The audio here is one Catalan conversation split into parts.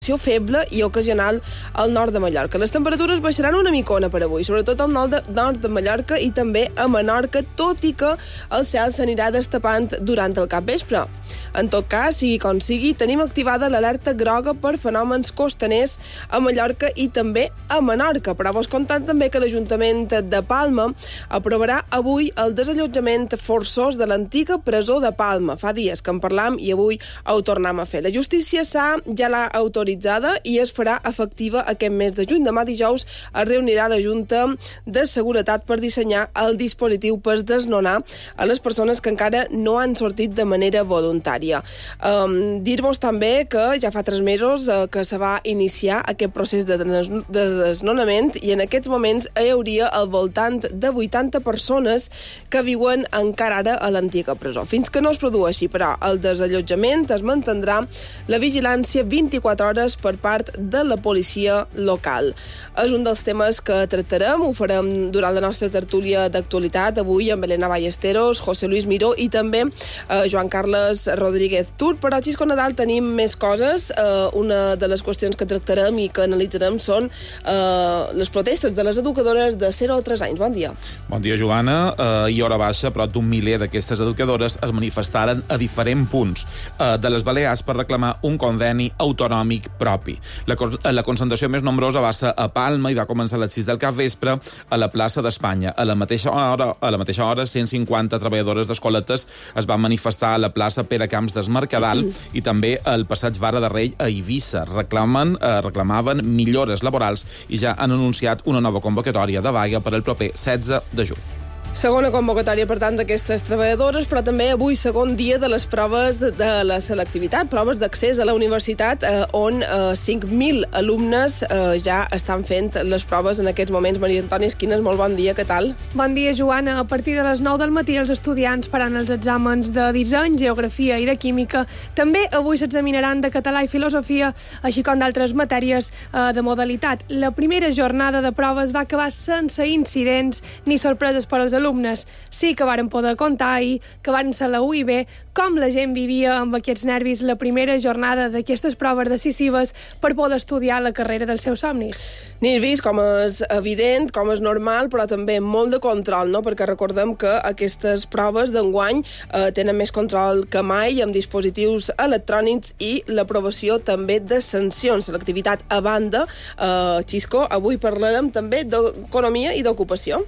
feble i ocasional al nord de Mallorca. Les temperatures baixaran una micona per avui, sobretot al nord de Mallorca i també a Menorca, tot i que el cel s'anirà destapant durant el capvespre. En tot cas, sigui com sigui, tenim activada l'alerta groga per fenòmens costaners a Mallorca i també a Menorca. Però vos contant també que l'Ajuntament de Palma aprovarà avui el desallotjament forçós de l'antiga presó de Palma. Fa dies que en parlam i avui ho tornem a fer. La justícia ja l'ha autoritzada i es farà efectiva aquest mes de juny. Demà dijous es reunirà la Junta de Seguretat per dissenyar el dispositiu per desnonar a les persones que encara no han sortit de manera voluntària. Dir-vos també que ja fa 3 mesos que se va iniciar aquest procés de desnonament i en aquests moments hi hauria al voltant de 80 persones que viuen encara ara a l'antiga presó. Fins que no es produeixi, però, el desallotjament es mantindrà la vigilància 24 hores per part de la policia local. És un dels temes que tractarem, ho farem durant la nostra tertúlia d'actualitat, avui amb Elena Ballesteros, José Luis Miró i també Joan Carles Rodríguez Tur. Però a Xisco Nadal tenim més coses. Una de les qüestions que tractarem i que analitzarem són les protestes de les educadores de 0 a 3 anys. Bon dia. Bon dia, Joana. I hora baixa, prop d'un miler d'aquestes educadores es manifestaren a diferents punts de les Balears per reclamar un conveni autonòmic propi. La concentració més nombrosa va ser a Palma i va començar a les 6 del capvespre a la plaça d'Espanya. A la mateixa hora, 150 treballadores d'escoletes es van manifestar a la plaça Pere Camps d'Esmercadal i també al passeig Vara de Rei a Eivissa. Reclamaven millores laborals i ja han anunciat una nova convocatòria de vaga per al proper 16 de juny. Segona convocatòria, per tant, d'aquestes treballadores, però també avui segon dia de les proves de la selectivitat, proves d'accés a la universitat, on 5.000 alumnes ja estan fent les proves en aquests moments. Maria Antònia Esquines, molt bon dia, què tal? Bon dia, Joana. A partir de les 9 del matí els estudiants faran els exàmens de disseny, geografia i de química. També avui s'examinaran de català i filosofia, així com d'altres matèries de modalitat. La primera jornada de proves va acabar sense incidents ni sorpreses per als alumnes. Sí que varen poder contar ahir que van ser la UIB com la gent vivia amb aquests nervis la primera jornada d'aquestes proves decisives per poder estudiar la carrera dels seus somnis. N'he vist com és evident, com és normal, però també molt de control, no? Perquè recordem que aquestes proves d'enguany tenen més control que mai amb dispositius electrònics i l'aprovació també de sancions. L'activitat a banda, Xisco, avui parlarem també d'economia i d'ocupació.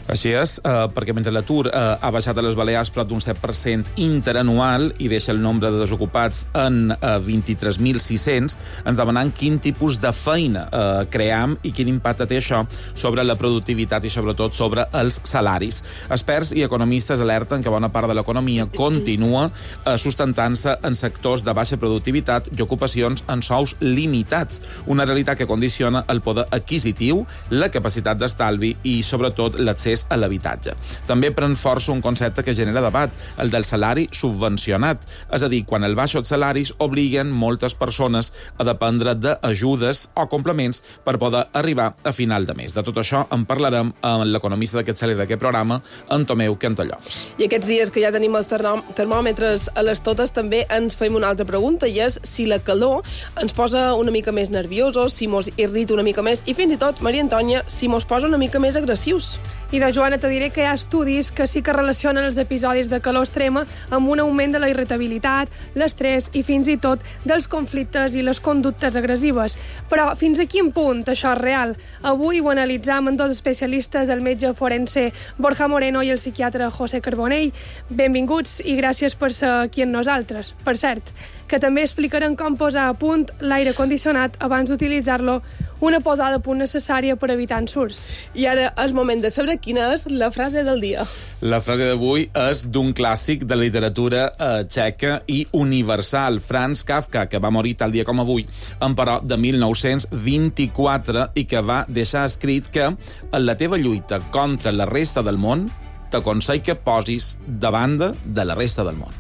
Així és, perquè mentre l'atur ha baixat a les Balears prop d'un 7% interanual i deixa el nombre de desocupats en 23.600, ens demanant quin tipus de feina cream i quin impacte té això sobre la productivitat i sobretot sobre els salaris. Experts i economistes alerten que bona part de l'economia continua sustentant-se en sectors de baixa productivitat i ocupacions en sous limitats, una realitat que condiciona el poder adquisitiu, la capacitat d'estalvi i sobretot l'accés a l'habitatge. També pren força un concepte que genera debat, el del salari subvencionat. És a dir, quan els baixos salaris obliguen moltes persones a dependre d'ajudes o complements per poder arribar a final de mes. De tot això en parlarem amb l'economista d'aquest cel·le d'aquest programa, en Tomeu Cantallops. I aquests dies que ja tenim els termòmetres a les totes, també ens fem una altra pregunta, i és si la calor ens posa una mica més nerviosos, si mos irrita una mica més, i fins i tot, Maria Antònia, si mos posa una mica més agressius. I de Joana te diré que hi ha estudis que sí que relacionen els episodis de calor extrema amb un augment de la irritabilitat, l'estrès i fins i tot dels conflictes i les conductes agressives. Però fins a quin punt això és real? Avui ho analitzam amb dos especialistes, el metge forense Borja Moreno i el psiquiatre José Carbonell. Benvinguts i gràcies per ser aquí amb nosaltres. Per cert, que també explicaran com posar a punt l'aire condicionat abans d'utilitzar-lo, una posada a punt necessària per evitar ensurts. I ara és moment de saber quina és la frase del dia. La frase d'avui és d'un clàssic de la literatura txeca i universal, Franz Kafka, que va morir tal dia com avui, emperò de 1924, i que va deixar escrit que en la teva lluita contra la resta del món t'aconsell que posis de banda de la resta del món.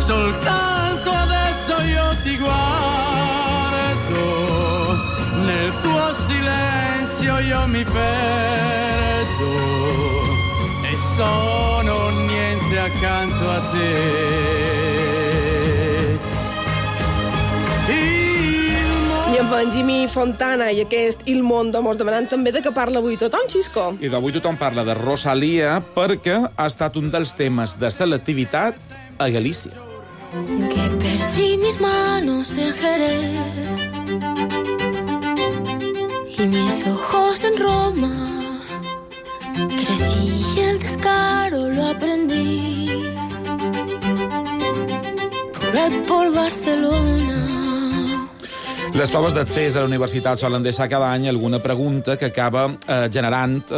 Soltanto adesso io ti guardo, nel tuo silenzio io mi perdo e sono niente accanto a te. Benjimí Fontana i aquest Il Mondo mos demanant també de què parla avui tothom, Xisco. I d'avui tothom parla de Rosalía perquè ha estat un dels temes de selectivitat a Galícia. Que perdí mis manos en Jerez y mis ojos en Roma. Crecí y el descaro lo aprendí por Barcelona. Les proves d'accés a la universitat solen deixar cada any alguna pregunta que acaba generant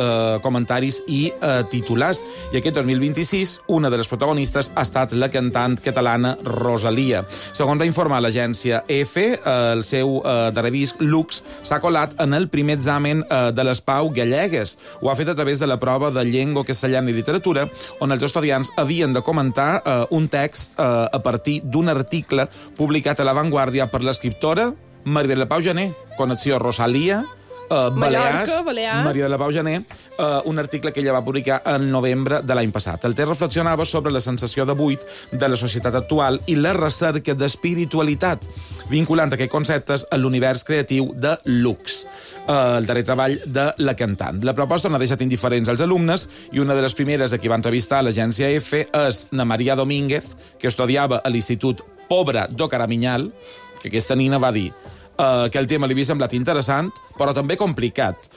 comentaris i titulars. I aquest 2026, una de les protagonistes ha estat la cantant catalana Rosalía. Segons va informar l'agència EFE, el seu darrer disc, Lux, s'ha colat en el primer examen de les Pau Gallegues. Ho ha fet a través de la prova de llengua castellana i literatura, on els estudiants havien de comentar un text a partir d'un article publicat a La Vanguardia per l'escriptora Maria de la Pau Janer, connexió Rosalía, Balears, Maria de la Pau Janer, un article que ella va publicar en novembre de l'any passat. El text reflexionava sobre la sensació de buit de la societat actual i la recerca d'espiritualitat, vinculant aquests conceptes a l'univers creatiu de Lux, el darrer treball de la cantant. La proposta no ha deixat indiferents als alumnes i una de les primeres a qui va entrevistar l'agència EFE és na Maria Domínguez, que estudiava a l'Institut Pobra do Caraminyal, que aquesta nina va dir que el tema li havia semblat interessant, però també complicat.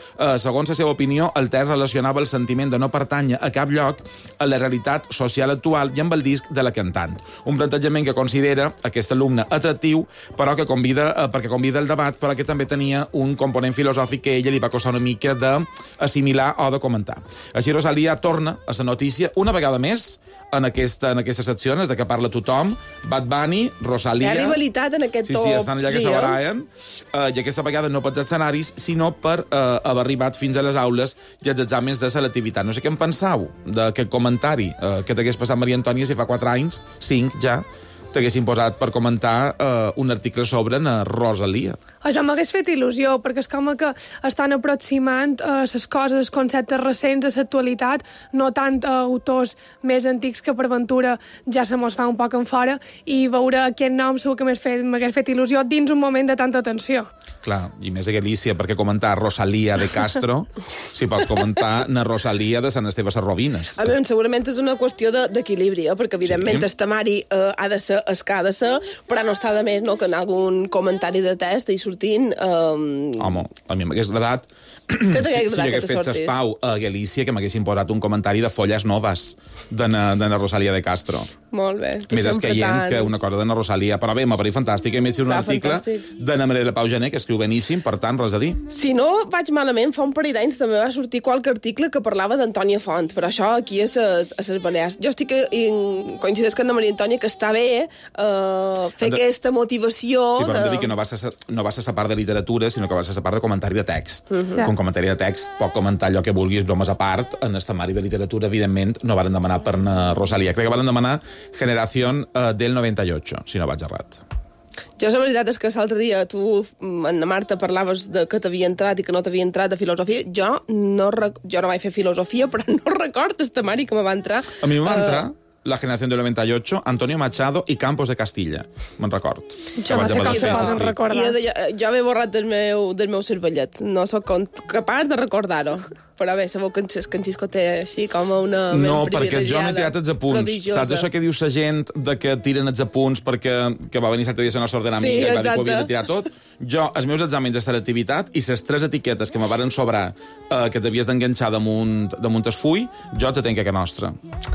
Segons la seva opinió, el text relacionava el sentiment de no pertànyer a cap lloc, a la realitat social actual i amb el disc de la cantant. Un plantejament que considera aquest alumne atractiu, però que perquè convida el debat, però que també tenia un component filosòfic que a ella li va costar una mica d'assimilar o de comentar. Així, Rosalía torna a la notícia una vegada més en aquestes seccions de què parla tothom. Bad Bunny, Rosalía... Hi ha rivalitat en aquest top. Sí, estan allà que se baraien. I aquesta vegada no pels escenaris, sinó per haver arribat fins a les aules i els exàmens de selectivitat. No sé què en penseu d'aquest comentari que t'hagués passat Maria Antònia si fa 4 anys, 5 ja, t'haguessin posat per comentar un article sobre Rosalía. Això m'hagués fet il·lusió, perquè és com que estan aproximant les coses, els conceptes recents a l'actualitat, no tant autors més antics que per ventura ja se mos fa un poc en fora, i veure aquest nom segur que m'hagués fet il·lusió dins un moment de tanta tensió. Clar, i més a Galícia, perquè comentar Rosalía de Castro, si pots comentar na Rosalía de Sant Esteve Sarrovines. A veure, segurament és una qüestió d'equilibri, perquè evidentment el temari ha de ser el que ha de ser, però no està de més que en algun comentari de test i sortint... Home, a mi m'hagués agradat si hagués fet s'espau a Galícia que m'haguessin posat un comentari de Folles Noves de na Rosalía de Castro. Molt bé. Més escaient que una cosa de na Rosalía. Però bé, m'ha parit fantàstic. He metge un article de na Maria de la Pau Janer, que escriu beníssim, per tant, res a dir. Si no vaig malament, fa un parell d'anys també va sortir qualque article que parlava d'Antònia Font, però això aquí a ses Balears. Jo estic coincideix amb la Maria Antònia que està bé fer aquesta motivació... Sí, però hem de dir que no va ser la part de literatura, sinó que va ser la part de comentari de text. Com comentari de text, pot comentar allò que vulguis, bromes a part. En el temari de literatura, evidentment, no varen demanar per Rosalía. Crec que varen demanar Generación del 98, si no vaig errat. Jo, la veritat és que l'altre dia tu, Anna Marta, parlaves de que t'havia entrat i que no t'havia entrat de filosofia. Jo no vaig fer filosofia, però no recordo el temari que me va entrar. A mi me va entrar La Generación del 98, Antonio Machado i Campos de Castilla. Me'n record. Jo no sé cap cosa me'n recordar. Jo m'he borrat del meu cervellet. No sóc capaç de recordar-ho. Però bé, sabeu que en Xisco té així com una ment no, perquè jo privilegiada, m'he tirat els apunts. prodigiosa. Saps això que diu la gent de que tiren els apunts perquè va venir l'altre dia la nostra ordenamiga i va dir que ho havia de tirar tot? Jo, els meus exàmens de selectivitat i les 3 etiquetes que me varen sobrar que t'havies d'enganxar damunt el full, jo els tenc a nostra.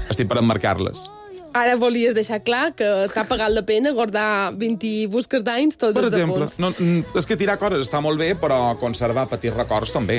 Estic per emmarcar-les. Ara volies deixar clar que t'ha pagat la pena guardar 20 busques d'anys tots els apunts. Per exemple, és que tirar coses està molt bé, però conservar petits records també.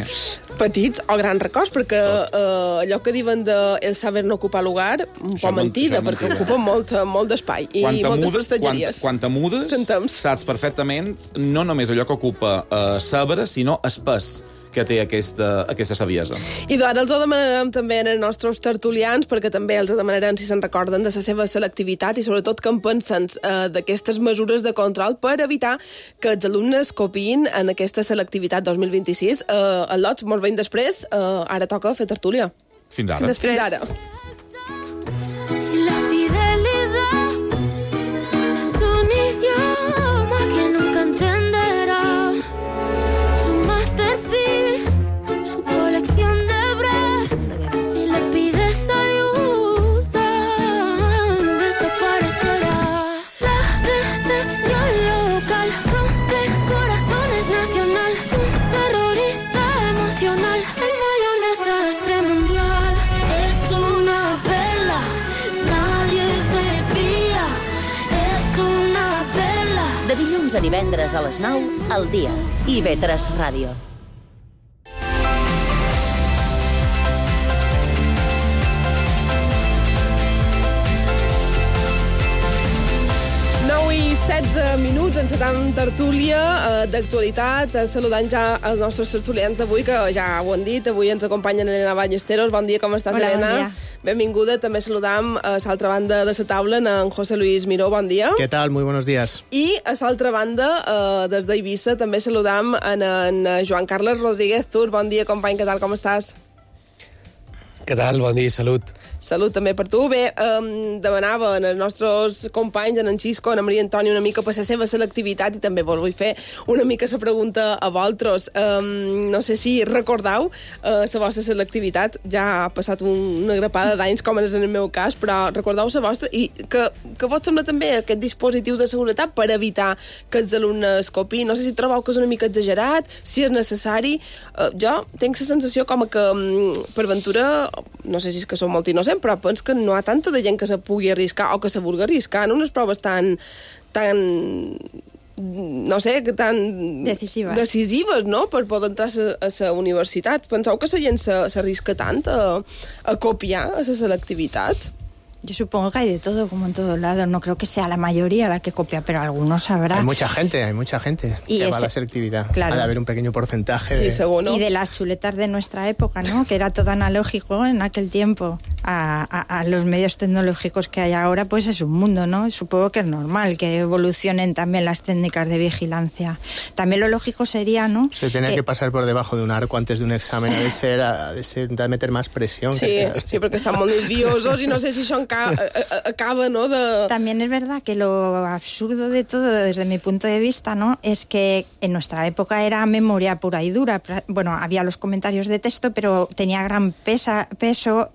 Petits o grans records, perquè allò que diuen de el saber no ocupar lugar, un poc mentida, perquè ocupa molt d'espai i moltes prestatgeries. Quan te mudes, saps perfectament no només allò que ocupa saber, sinó espès que té aquesta saviesa. I ara els ho demanarem també als nostres tertulians, perquè també els demanarem si se'n recorden de la seva selectivitat i sobretot que en pensen d'aquestes mesures de control per evitar que els alumnes copiïn en aquesta selectivitat 2026. El Lots, molt ben després, ara toca fer tertúlia. Fins ara. Fins ara. excepción local, rompe corazones nacional, un terrorista emocional, el mayor desastre mundial. Es una perla, nadie se fía, es una perla. De dilluns a divendres a les 9, al dia. IB3 Ràdio. I 16 minuts, encetam tertúlia d'actualitat, saludant ja els nostres tertulians d'avui, que ja ho han dit, avui ens acompanyen Elena Ballesteros. Bon dia, com estàs, Hola, Elena? bon dia. Benvinguda. També saludam a l'altra banda de la taula en José Luis Miró. Bon dia. ¿Qué tal? Muy buenos días. I a l'altra banda, des d'Eivissa, també saludam en Joan Carles Rodríguez Tur. Bon dia, company, què tal, com estàs? Què tal? Bon dia, salut. Salut també per tu. Bé, demanava als nostres companys, en Xisco, en Maria Antònia, una mica per la seva selectivitat, i també vos vull fer una mica la pregunta a vosaltres. No sé si recordeu la vostra selectivitat. Ja ha passat una grapada d'anys, com és en el meu cas, però recordeu la vostra, i que vos sembla també aquest dispositiu de seguretat per evitar que els alumnes copiïn. No sé si trobeu que és una mica exagerat, si és necessari. Jo tinc la sensació com que, per ventura, no sé si és que som molt innocents, però penso que no hi ha tanta de gent que se pugui arriscar o que se vulgui arriscar en unes proves tan no sé, tan decisives, no?, per poder entrar a la universitat. Penseu que la gent s'arrisca tant a copiar a la selectivitat? Yo supongo que hay de todo, como en todos lados. No creo que sea la mayoría la que copia, pero algunos habrá. Hay mucha gente y que va a la selectividad. Claro. Ha de haber un pequeño porcentaje. Sí, seguro. Y de las chuletas de nuestra época, ¿no? Que era todo analógico en aquel tiempo. A los medios tecnológicos que hay ahora, pues es un mundo, ¿no? Supongo que es normal que evolucionen también las técnicas de vigilancia. También lo lógico sería, ¿no? Se tenía que pasar por debajo de un arco antes de un examen, de meter más presión. Sí, porque están muy nerviosos y no sé si son acaba, ¿no? También es verdad que lo absurdo de todo, desde mi punto de vista, ¿no?, es que en nuestra época era memoria pura y dura. Bueno, había los comentarios de texto, pero tenía gran peso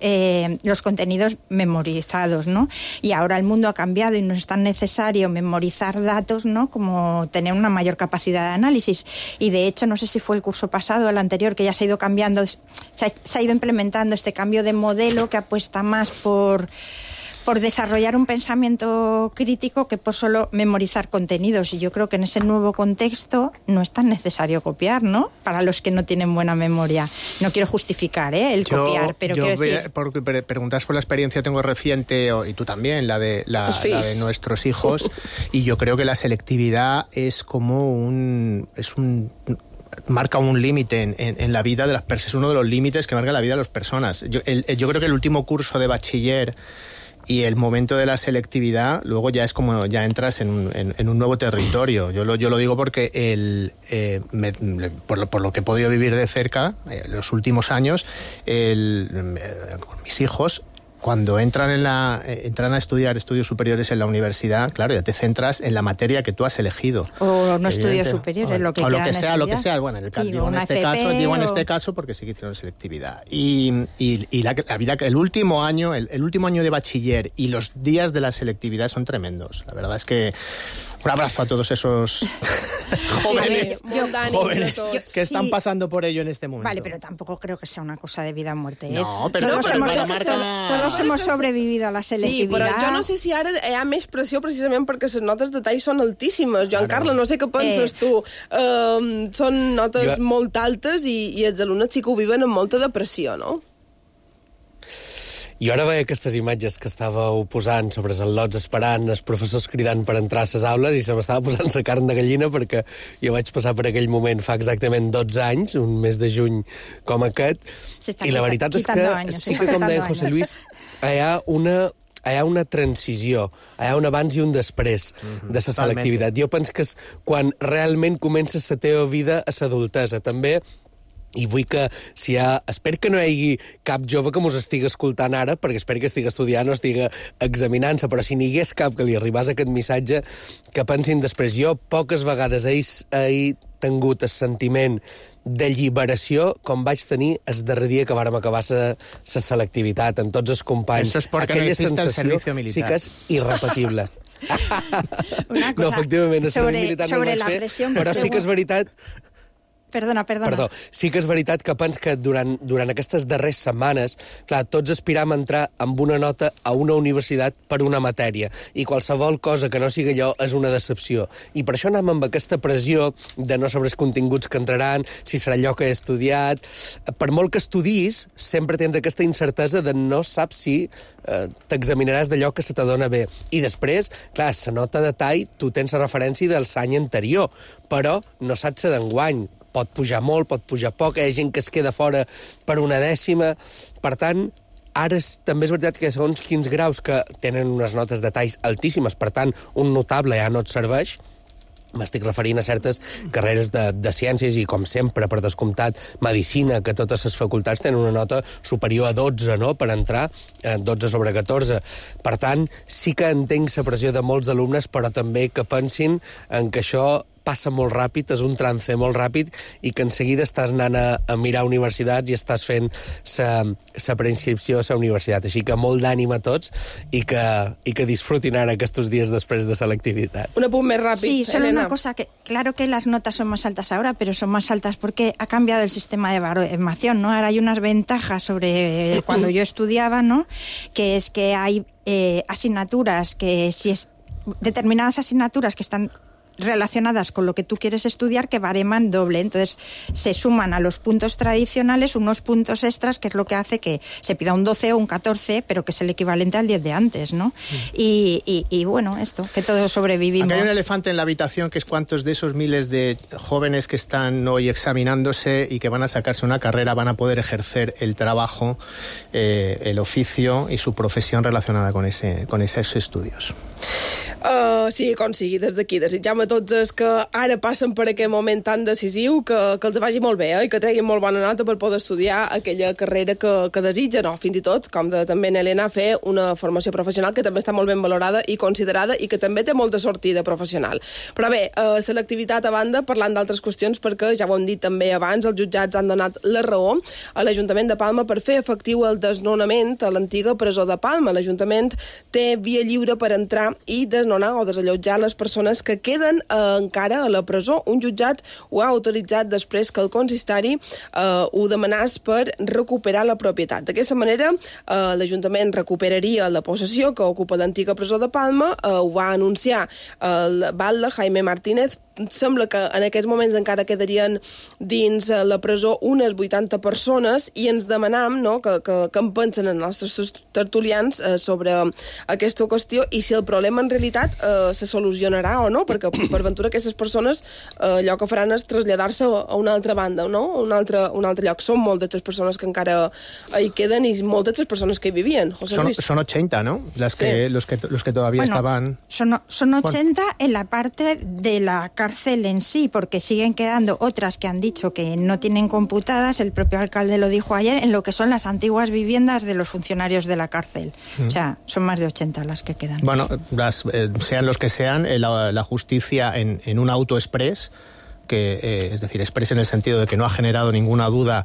los contenidos memorizados, ¿no? Y ahora el mundo ha cambiado y no es tan necesario memorizar datos, ¿no?, como tener una mayor capacidad de análisis. Y de hecho, no sé si fue el curso pasado o el anterior, que ya se ha ido cambiando, se ha ido implementando este cambio de modelo que apuesta más por desarrollar un pensamiento crítico que por solo memorizar contenidos. Y yo creo que en ese nuevo contexto no es tan necesario copiar, ¿no?, para los que no tienen buena memoria. No quiero justificar el copiar, pero quiero decir... Porque preguntas por la experiencia tengo reciente, y tú también, la de nuestros hijos, y yo creo que la selectividad es como marca un límite en la vida de las personas. Es uno de los límites que marca la vida de las personas. Yo creo que el último curso de bachiller y el momento de la selectividad, luego ya es como ya entras en un nuevo territorio. Yo lo digo porque por lo que he podido vivir de cerca los últimos años, con mis hijos, cuando entran a estudiar estudios superiores en la universidad, claro, ya te centras en la materia que tú has elegido. O no estudios superiores, lo que quieran estudiar. Lo que sea. Bueno, digo en este caso porque sí que hicieron selectividad. Y la vida, el último año de bachiller y los días de la selectividad son tremendos. La verdad es que un abrazo a todos esos jóvenes que están pasando por ello en este momento. Vale, pero tampoco creo que sea una cosa de vida o muerte. No, pero todos hemos sobrevivido a la selectividad. Sí, però jo no sé si ara hi ha més pressió precisament perquè les notes de tall són altíssimes. Joan Carles, no sé què penses tu. Són notes molt altes i els alumnes sí que ho viven amb molta depressió, no? Jo ara veia aquestes imatges que estàveu posant sobre els al·lots esperant, els professors cridant per entrar a les aules, i se m'estava posant la carn de gallina perquè jo vaig passar per aquell moment fa exactament 12 anys, un mes de juny com aquest, i la veritat és que sí que, com deia José Luis, hi ha una transició, hi ha un abans i un després de la selectivitat. Jo penso que és quan realment comences la teva vida a l'adultesa. També, i vull que espero que no hi hagi cap jove que mos estigui escoltant ara, perquè espero que estigui estudiant o estigui examinant-se, però si n'hi hagués cap que li arribés aquest missatge, que pensin després. Jo poques vegades he tingut el sentiment d'alliberació com vaig tenir el darrer dia que vàrem acabar la selectivitat amb tots els companys. Eso es porque no hiciste el servicio militar. Sí que és irrepetible. Una cosa, no, efectivament, sobre la pressió... Però sí que és veritat... Perdona. Perdó, sí que és veritat que pens que durant aquestes darreres setmanes, clar, tots aspiram a entrar amb una nota a una universitat per una matèria, i qualsevol cosa que no sigui allò és una decepció. I per això anem amb aquesta pressió de no saber els continguts que entraran, si serà allò que he estudiat... Per molt que estudis, sempre tens aquesta incertesa de no saps si t'examinaràs d'allò que se t'adona bé. I després, clar, la nota de tall, tu tens la referència del l'any anterior, però no saps la d'enguany. Pot pujar molt, pot pujar poc, hi ha gent que es queda fora per una dècima. Per tant, ara també és veritat que segons quins graus que tenen unes notes de talls altíssimes, per tant, un notable ja no et serveix. M'estic referint a certes carreres de ciències i, com sempre, per descomptat, medicina, que totes les facultats tenen una nota superior a 12, no?, per entrar, 12 sobre 14. Per tant, sí que entenc la pressió de molts alumnes, però també que pensin en que això passa molt ràpid, és un trance molt ràpid, i que en seguida estàs anant a mirar universitats i estàs fent la preinscripció a la universitat. Així que molt d'ànim a tots i que disfrutin ara aquests dies després de selectivitat. Un apunt més ràpid, Sí, solo Elena. una cosa, que claro que las notas son más altas ahora, pero son más altas porque ha cambiado el sistema de baremación, ¿no? Ahora hay unas ventajas sobre cuando yo estudiaba, ¿no? Que es que hay asignaturas que determinadas asignaturas que están relacionadas con lo que tú quieres estudiar que bareman doble. Entonces se suman a los puntos tradicionales unos puntos extras, que es lo que hace que se pida un 12 o un 14, pero que es el equivalente al 10 de antes, ¿no? Y bueno, esto, que todos sobrevivimos. Aquí hay un elefante en la habitación, que es cuántos de esos miles de jóvenes que están hoy examinándose y que van a sacarse una carrera van a poder ejercer el trabajo, el oficio y su profesión relacionada con esos estudios. Sí, com sigui, des d'aquí desitjam a tots els que ara passen per aquest moment tan decisiu que els vagi molt bé, i que treguin molt bona nota per poder estudiar aquella carrera que desitgen, o fins i tot, com de també en Elena, fer una formació professional que també està molt ben valorada i considerada i que també té molta sortida professional. Però bé, selectivitat a banda, parlant d'altres qüestions, perquè ja ho hem dit també abans, els jutjats han donat la raó a l'Ajuntament de Palma per fer efectiu el desnonament a l'antiga presó de Palma. L'Ajuntament té via lliure per entrar i desnonar o desallotjar les persones que queden encara a la presó. Un jutjat ho ha autoritzat després que el consistori ho demanés per recuperar la propietat. D'aquesta manera, l'Ajuntament recuperaria la possessió que ocupa l'antiga presó de Palma. Ho va anunciar el batlle Jaime Martínez. Sembla que en aquests moments encara quedarien dins la presó unes 80 persones, i ens demanam, no, que en pensen els nostres tertulians sobre aquesta qüestió i si el problema en realitat se solucionarà o no, perquè per ventura aquestes persones allò que faran és traslladar-se a una altra banda, no? A un altre lloc. Són moltes les persones que encara hi queden i moltes les persones que hi vivien. Son 80, ¿no? Los que todavía estaban... Son 80 en la parte de la cárcel en sí, porque siguen quedando otras que han dicho que no tienen computadas, el propio alcalde lo dijo ayer, en lo que son las antiguas viviendas de los funcionarios de la cárcel. O sea, son más de 80 las que quedan. Bueno, sean los que sean, la justicia en un auto express, es decir, express en el sentido de que no ha generado ninguna duda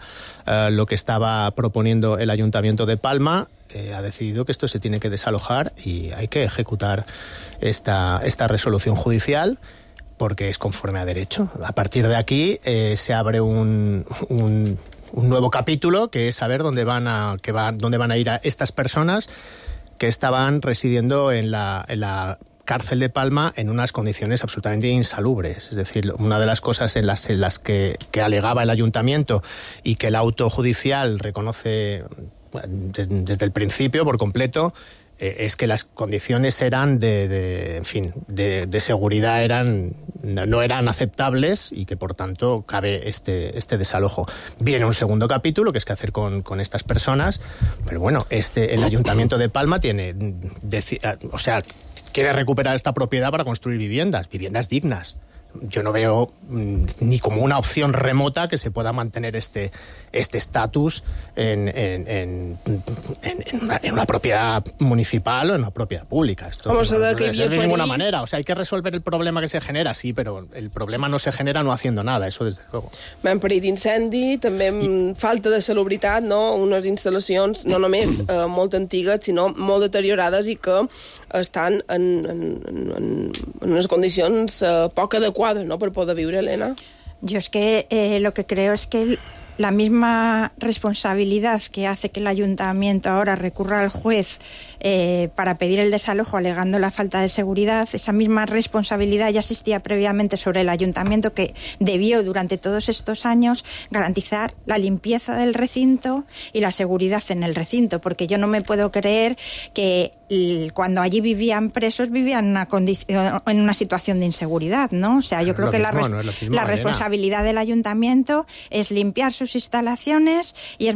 lo que estaba proponiendo el Ayuntamiento de Palma, ha decidido que esto se tiene que desalojar y hay que ejecutar esta resolución judicial, porque es conforme a derecho. A partir de aquí se abre un nuevo capítulo, que es saber dónde van a ir a estas personas que estaban residiendo en la cárcel de Palma en unas condiciones absolutamente insalubres. Es decir, una de las cosas en las que alegaba el ayuntamiento y que el auto judicial reconoce desde el principio por completo, es que las condiciones eran de seguridad no eran aceptables, y que por tanto cabe este desalojo. Viene un segundo capítulo, que es qué hacer con estas personas, pero bueno, el Ayuntamiento de Palma quiere recuperar esta propiedad para construir viviendas dignas. yo no veo ni como una opción remota que se pueda mantener este estatus en una propiedad municipal o en una propiedad pública. Esto Vamos a ver que de ninguna manera. O sea, hay que resolver el problema que se genera, sí, pero el problema no se genera no haciendo nada, eso desde luego. En perill d'incendi, també falta de salubritat, no? Unes instal·lacions no només molt antigues, sinó molt deteriorades i que estan en unes condicions poc adequades, ¿no?, per poder viure, Elena. Yo es que lo que creo es que la misma responsabilidad que hace que el ayuntamiento ahora recurra al juez para pedir el desalojo alegando la falta de seguridad, esa misma responsabilidad ya existía previamente sobre el ayuntamiento, que debió durante todos estos años garantizar la limpieza del recinto y la seguridad en el recinto, porque yo no me puedo creer que cuando allí vivían presos vivían en una situación de inseguridad, ¿no? O sea, yo creo que la responsabilidad del ayuntamiento es limpiar sus instalaciones y es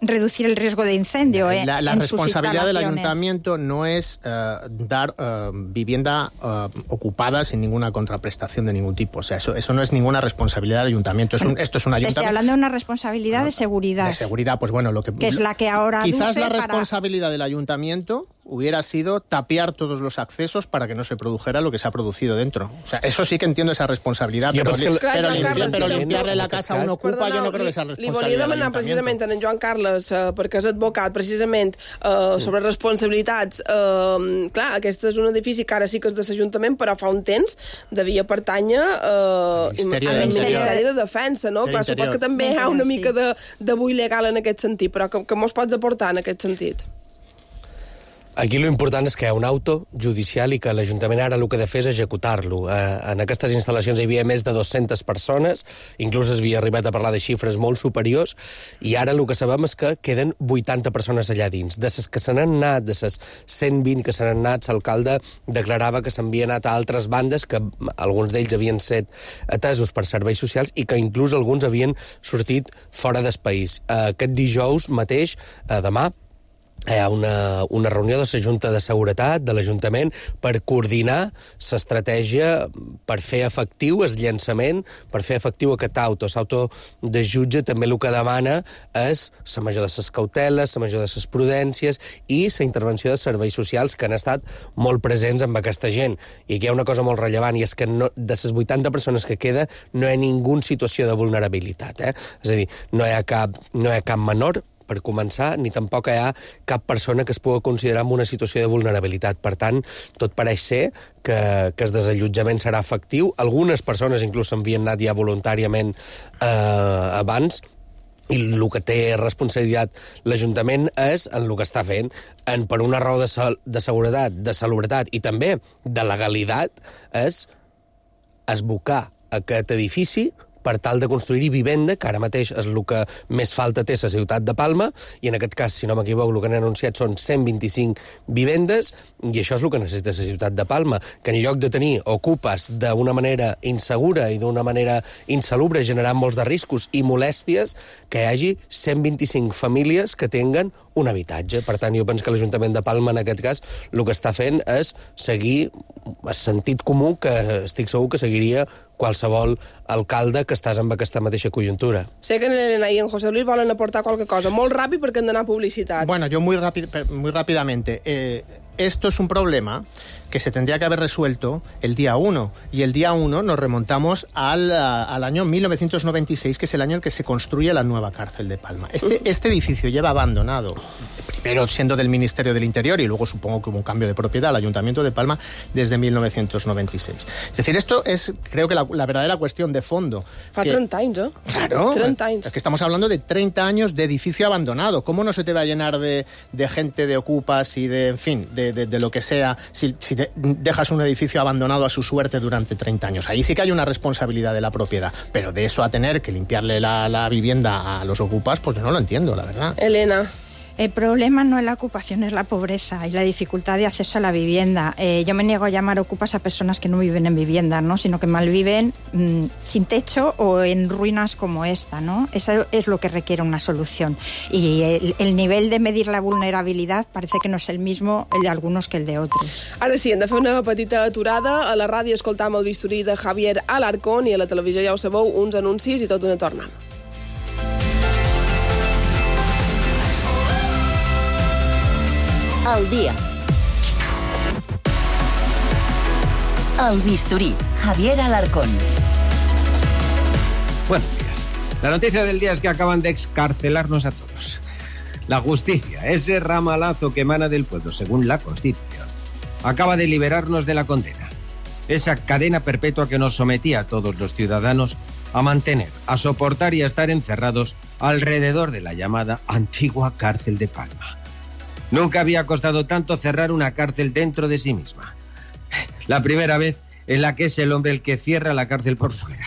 reducir el riesgo de incendio la en responsabilidad sus del ayuntamiento no es dar vivienda ocupada sin ninguna contraprestación de ningún tipo. O sea, eso no es ninguna responsabilidad del ayuntamiento. Esto es un ayuntamiento. Estoy hablando de una responsabilidad de seguridad. De seguridad, pues bueno, que es la que ahora quizás la responsabilidad del ayuntamiento hubiera sido tapiar todos los accesos para que no se produjera lo que se ha producido dentro. O sea, eso sí que entiendo esa responsabilidad, pero limpiarle la casa a un ocupa, jo no crec que sea responsabilitat. Li volia demanar precisament a en Joan Carles, perquè és advocat, precisament, sobre responsabilitats. Clar, aquest és un edifici que ara sí que és de l'Ajuntament, però fa un temps devia pertànyer al Ministeri de Defensa, no? Clar, supos que també hi ha una mica de bull legal en aquest sentit, però que mos pots aportar en aquest sentit? Aquí lo important és que hi ha un auto judicial i que l'Ajuntament ara el que ha de fer és executar-lo. En aquestes instal·lacions hi havia més de 200 persones, inclús es havia arribat a parlar de xifres molt superiors, i ara el que sabem és que queden 80 persones allà dins. De les que se n'han anat, de les 120 que se n'han anat, l'alcalde declarava que s'havien anat a altres bandes, que alguns d'ells havien estat atesos per serveis socials i que inclús alguns havien sortit fora del país. Aquest dijous mateix, demà, hi ha una reunió de la Junta de Seguretat de l'Ajuntament per coordinar l'estratègia per fer efectiu el llançament, per fer efectiu aquest auto. L'auto de jutge també el que demana és la major de les cauteles, la major de les prudències i la intervenció de serveis socials que han estat molt presents amb aquesta gent. I aquí hi ha una cosa molt rellevant, i és que de les 80 persones que queda no hi ha ningú en situació de vulnerabilitat. És a dir, no hi ha cap menor, per començar, ni tampoc hi ha cap persona que es pugui considerar en una situació de vulnerabilitat. Per tant, tot pareix ser que el desallotjament serà efectiu. Algunes persones inclús s'havien anat ja voluntàriament abans, i el que té responsabilitat l'Ajuntament és en el que està fent, per una raó de seguretat, de salubritat i també de legalitat, és esbocar aquest edifici per tal de construir vivenda, que ara mateix és el que més falta té la ciutat de Palma, i en aquest cas, si no m'equivoco, el que han anunciat són 125 vivendes, i això és el que necessita la ciutat de Palma, que en lloc de tenir ocupes d'una manera insegura i d'una manera insalubre, generant molts de riscos i molèsties, que hi hagi 125 famílies que tinguen un habitatge. Per tant, jo penso que l'Ajuntament de Palma, en aquest cas, el que està fent és seguir el sentit comú que estic segur que seguiria qualsevol alcalde que estàs amb aquesta mateixa conjuntura. Sé que en Elena i en José Luis volen aportar qualque cosa. Molt ràpid perquè hem d'anar a publicitat. Bueno, yo muy rápidamente. Esto es un problema que se tendría que haber resuelto el día 1. Y el día 1 nos remontamos al año 1996, que es el año en que se construye la nueva cárcel de Palma. Este edificio lleva abandonado, primero siendo del Ministerio del Interior y luego supongo que hubo un cambio de propiedad al Ayuntamiento de Palma desde 1996. Es decir, esto es, creo que la verdadera cuestión de fondo. Fa 30 anys, eh? Claro. 30 anys. Es que estamos hablando de 30 años de edificio abandonado. ¿Cómo no se te va a llenar de gente, de ocupas y de, en fin, de lo que sea, si dejas un edificio abandonado a su suerte durante 30 años? Ahí sí que hay una responsabilidad de la propiedad, pero de eso a tener que limpiarle la vivienda a los ocupas, pues yo no lo entiendo, la verdad. Elena. El problema no es la ocupación, es la pobreza y la dificultad de acceso a la vivienda. Yo me niego a llamar ocupas a personas que no viven en vivienda, ¿no? Sino que malviven sin techo o en ruinas como esta, ¿no? Eso es lo que requiere una solución. Y el nivel de medir la vulnerabilidad parece que no és el mismo el de algunos que el de otros. Ara sí, hem de fer una petita aturada. A la ràdio escoltam el bisturí de Javier Alarcón i a la televisió, ja ho sabeu, uns anuncis i tot una torna. Al día. El bisturí, Javier Alarcón. Buenos días. La noticia del día es que acaban de excarcelarnos a todos. La justicia, ese ramalazo que emana del pueblo, según la Constitución, acaba de liberarnos de la condena. Esa cadena perpetua que nos sometía a todos los ciudadanos a mantener, a soportar y a estar encerrados alrededor de la llamada antigua cárcel de Palma. Nunca había costado tanto cerrar una cárcel dentro de sí misma. La primera vez en la que es el hombre el que cierra la cárcel por fuera,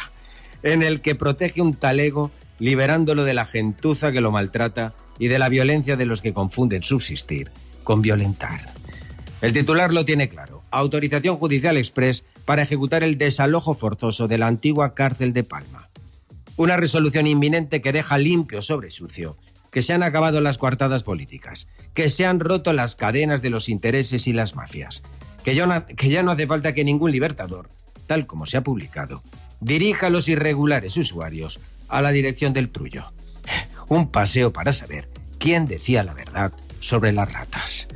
en el que protege un talego liberándolo de la gentuza que lo maltrata y de la violencia de los que confunden subsistir con violentar. El titular lo tiene claro: autorización judicial express para ejecutar el desalojo forzoso de la antigua cárcel de Palma. Una resolución inminente que deja limpio sobre sucio que se han acabado las coartadas políticas, que se han roto las cadenas de los intereses y las mafias, que ya no hace falta que ningún libertador, tal como se ha publicado, dirija a los irregulares usuarios a la dirección del trullo. Un paseo para saber quién decía la verdad sobre las ratas.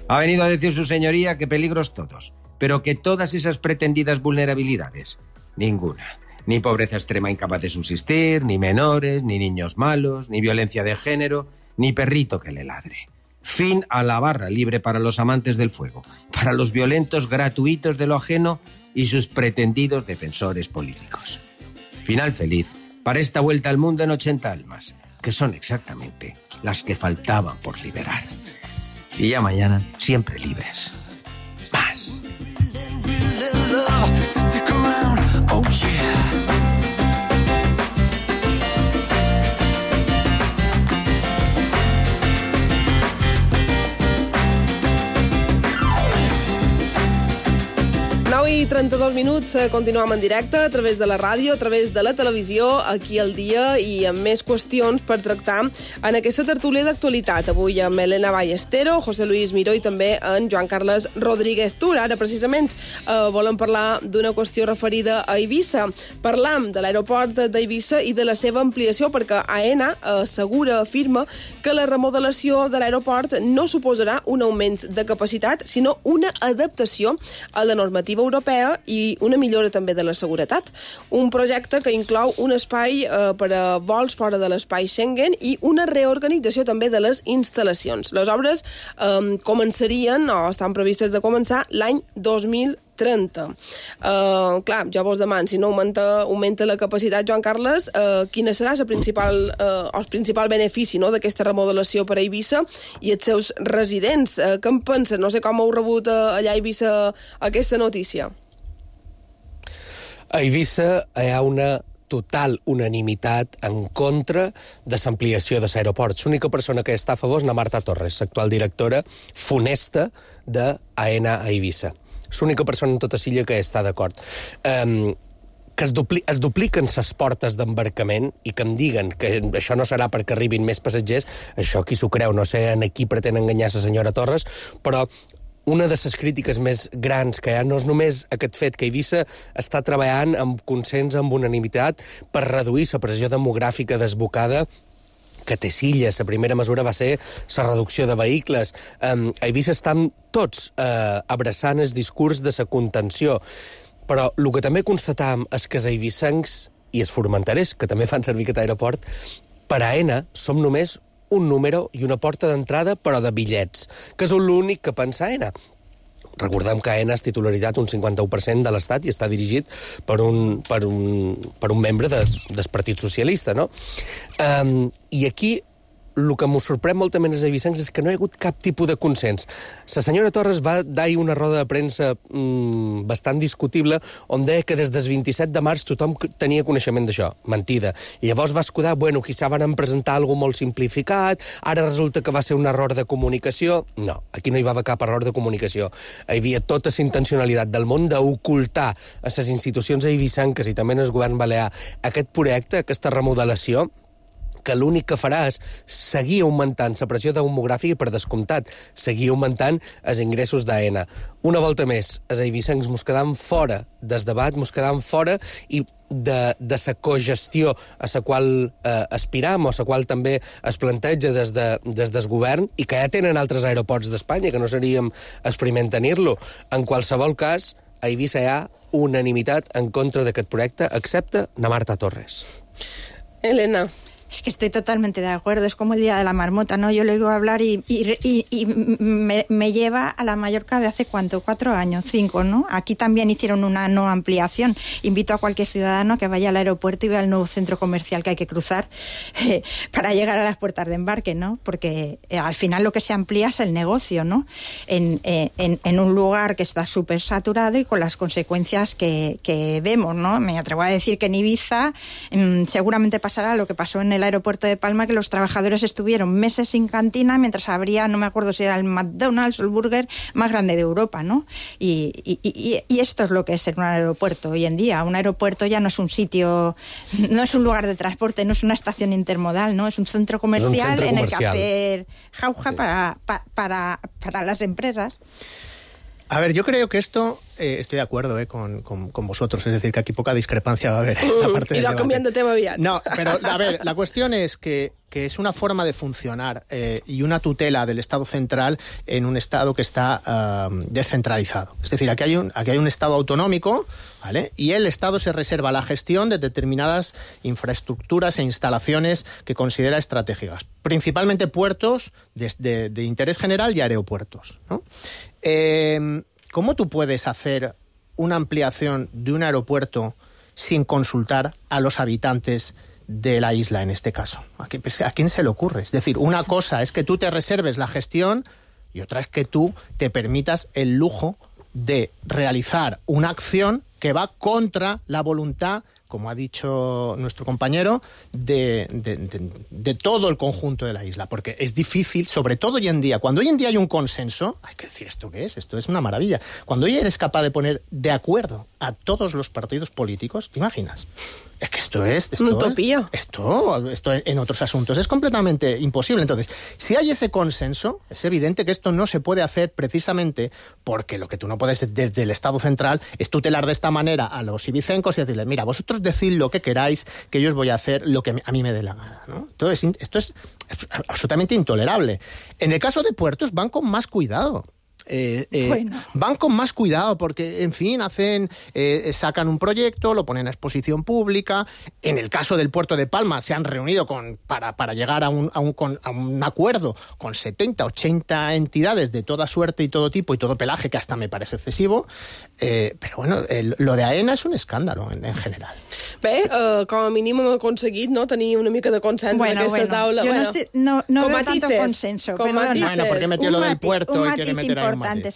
Ha venido a decir su señoría que peligros todos, pero que todas esas pretendidas vulnerabilidades, ninguna. Ni pobreza extrema incapaz de subsistir, ni menores, ni niños malos, ni violencia de género, ni perrito que le ladre. Fin a la barra libre para los amantes del fuego, para los violentos gratuitos de lo ajeno y sus pretendidos defensores políticos. Final feliz para esta vuelta al mundo en 80 almas, que son exactamente las que faltaban por liberar. Y ya mañana, siempre libres. Más. I 32 minuts, continuem en directe a través de la ràdio, a través de la televisió, aquí al dia i amb més qüestions per tractar en aquesta tertúlia d'actualitat. Avui amb Elena Ballestero, José Luis Miró i també en Joan Carles Rodríguez Tur. Ara, precisament, volem parlar d'una qüestió referida a Eivissa. Parlam de l'aeroport d'Eivissa i de la seva ampliació, perquè AENA afirma que la remodelació de l'aeroport no suposarà un augment de capacitat, sinó una adaptació a la normativa europea i una millora també de la seguretat. Un projecte que inclou un espai per a vols fora de l'espai Schengen i una reorganització també de les instal·lacions. Les obres començarien, o estan previstes de començar, l'any 2030. Clar, ja vos deman, si no augmenta la capacitat, Joan Carles, quina serà el principal benefici d'aquesta remodelació per a Eivissa i els seus residents? Què en pensen? No sé com heu rebut allà a Eivissa aquesta notícia. A Eivissa hi ha una total unanimitat en contra de l'ampliació de l'aeroport. L'única persona que està a favor és la Marta Torres, l'actual directora funesta d'AENA a Eivissa. L'única persona en tota l'illa que està d'acord. Que es dupliquen les portes d'embarcament i que em diguen que això no serà perquè arribin més passatgers, això qui s'ho creu, no sé en qui pretén enganyar la senyora Torres, però una de les crítiques més grans que hi ha no és només aquest fet que Eivissa està treballant amb consens, amb unanimitat, per reduir la pressió demogràfica desbocada que té Silla. La primera mesura va ser la reducció de vehicles. A Eivissa estan tots abraçant el discurs de la contenció. Però el que també constatam és que els eivissencs i els formenterers, que també fan servir aquest aeroport, per AENA som només un número i una porta d'entrada, però de bitllets, que és l'únic que pensa AENA. Recordem que AENA és titularitat un 51% de l'Estat i està dirigit per un membre del Partit Socialista, no? I aquí el que m'ho sorprèn moltament als eivissencs és que no hi ha hagut cap tipus de consens. La senyora Torres va dar una roda de premsa bastant discutible on deia que des del 27 de març tothom tenia coneixement d'això. Mentida. I llavors va escudar, bueno, quizà van presentar alguna molt simplificat, ara resulta que va ser un error de comunicació. No, aquí no hi va haver cap error de comunicació. Hi havia tota la intencionalitat del món d'ocultar a les institucions eivissenques i també al govern balear aquest projecte, aquesta remodelació, que l'únic que farà és seguir augmentant la pressió demogràfica i, per descomptat, seguir augmentant els ingressos d'AENA. Una volta més, els eivissencs mos quedam fora del debat, mos quedam fora i de la cogestió a la qual aspiram o a la qual també es planteja des del govern i que ja tenen altres aeroports d'Espanya, que no seríem els primers en tenir-lo. En qualsevol cas, a Eivissa hi ha unanimitat en contra d'aquest projecte, excepte na Marta Torres. Elena. Es que estoy totalmente de acuerdo, es como el día de la marmota, ¿no? Yo le oigo hablar y me lleva a la Mallorca de hace, ¿cuánto? 4 años, 5, ¿no? Aquí también hicieron una no ampliación. Invito a cualquier ciudadano que vaya al aeropuerto y vea el nuevo centro comercial que hay que cruzar para llegar a las puertas de embarque, ¿no? Porque al final lo que se amplía es el negocio, ¿no? En un lugar que está súper saturado y con las consecuencias que vemos, ¿no? Me atrevo a decir que en Ibiza seguramente pasará lo que pasó en el aeropuerto de Palma, que los trabajadores estuvieron meses sin cantina mientras habría, no me acuerdo si era el McDonald's o el burger más grande de Europa, ¿no? Y esto es lo que es ser un aeropuerto hoy en día. Un aeropuerto ya no es un sitio, no es un lugar de transporte, no es una estación intermodal, ¿no? Es un centro comercial en el que hacer jauja para las empresas. A ver, yo creo que esto, estoy de acuerdo con vosotros, es decir, que aquí poca discrepancia va a haber en esta parte del debate. Cambiando de tema aviat. No, pero a ver, la cuestión es que es una forma de funcionar y una tutela del Estado central en un Estado que está descentralizado. Es decir, aquí hay un Estado autonómico, ¿vale? Y el Estado se reserva la gestión de determinadas infraestructuras e instalaciones que considera estratégicas, principalmente puertos de interés general y aeropuertos, ¿no? ¿Cómo tú puedes hacer una ampliación de un aeropuerto sin consultar a los habitantes de la isla, en este caso? ¿A quién se le ocurre? Es decir, una cosa es que tú te reserves la gestión y otra es que tú te permitas el lujo de realizar una acción que va contra la voluntad, como ha dicho nuestro compañero, de todo el conjunto de la isla. Porque es difícil, sobre todo hoy en día, cuando hoy en día hay un consenso, hay que decir, ¿esto qué es? Esto es una maravilla. Cuando hoy eres capaz de poner de acuerdo a todos los partidos políticos, ¿te imaginas? Es que esto una utopía. Esto en otros asuntos es completamente imposible. Entonces, si hay ese consenso, es evidente que esto no se puede hacer precisamente porque lo que tú no puedes desde el Estado central es tutelar de esta manera a los ibicencos y decirles, mira, vosotros decid lo que queráis, que yo os voy a hacer lo que a mí me dé la gana, ¿no? Entonces, esto es absolutamente intolerable. En el caso de puertos van con más cuidado. Van con más cuidado porque, en fin, sacan un proyecto, lo ponen a exposición pública. En el caso del puerto de Palma se han reunido para llegar a un acuerdo con 70, 80 entidades de toda suerte y todo tipo y todo pelaje, que hasta me parece excesivo, però bueno, lo de AENA és un escàndalo en general. Bé, com a mínim hem aconseguit, no, tenir una mica de consens en aquesta taula. Yo no veo tanto consenso, perdona. Bueno, porque metió lo del puerto y quiere meter ahí un matiz.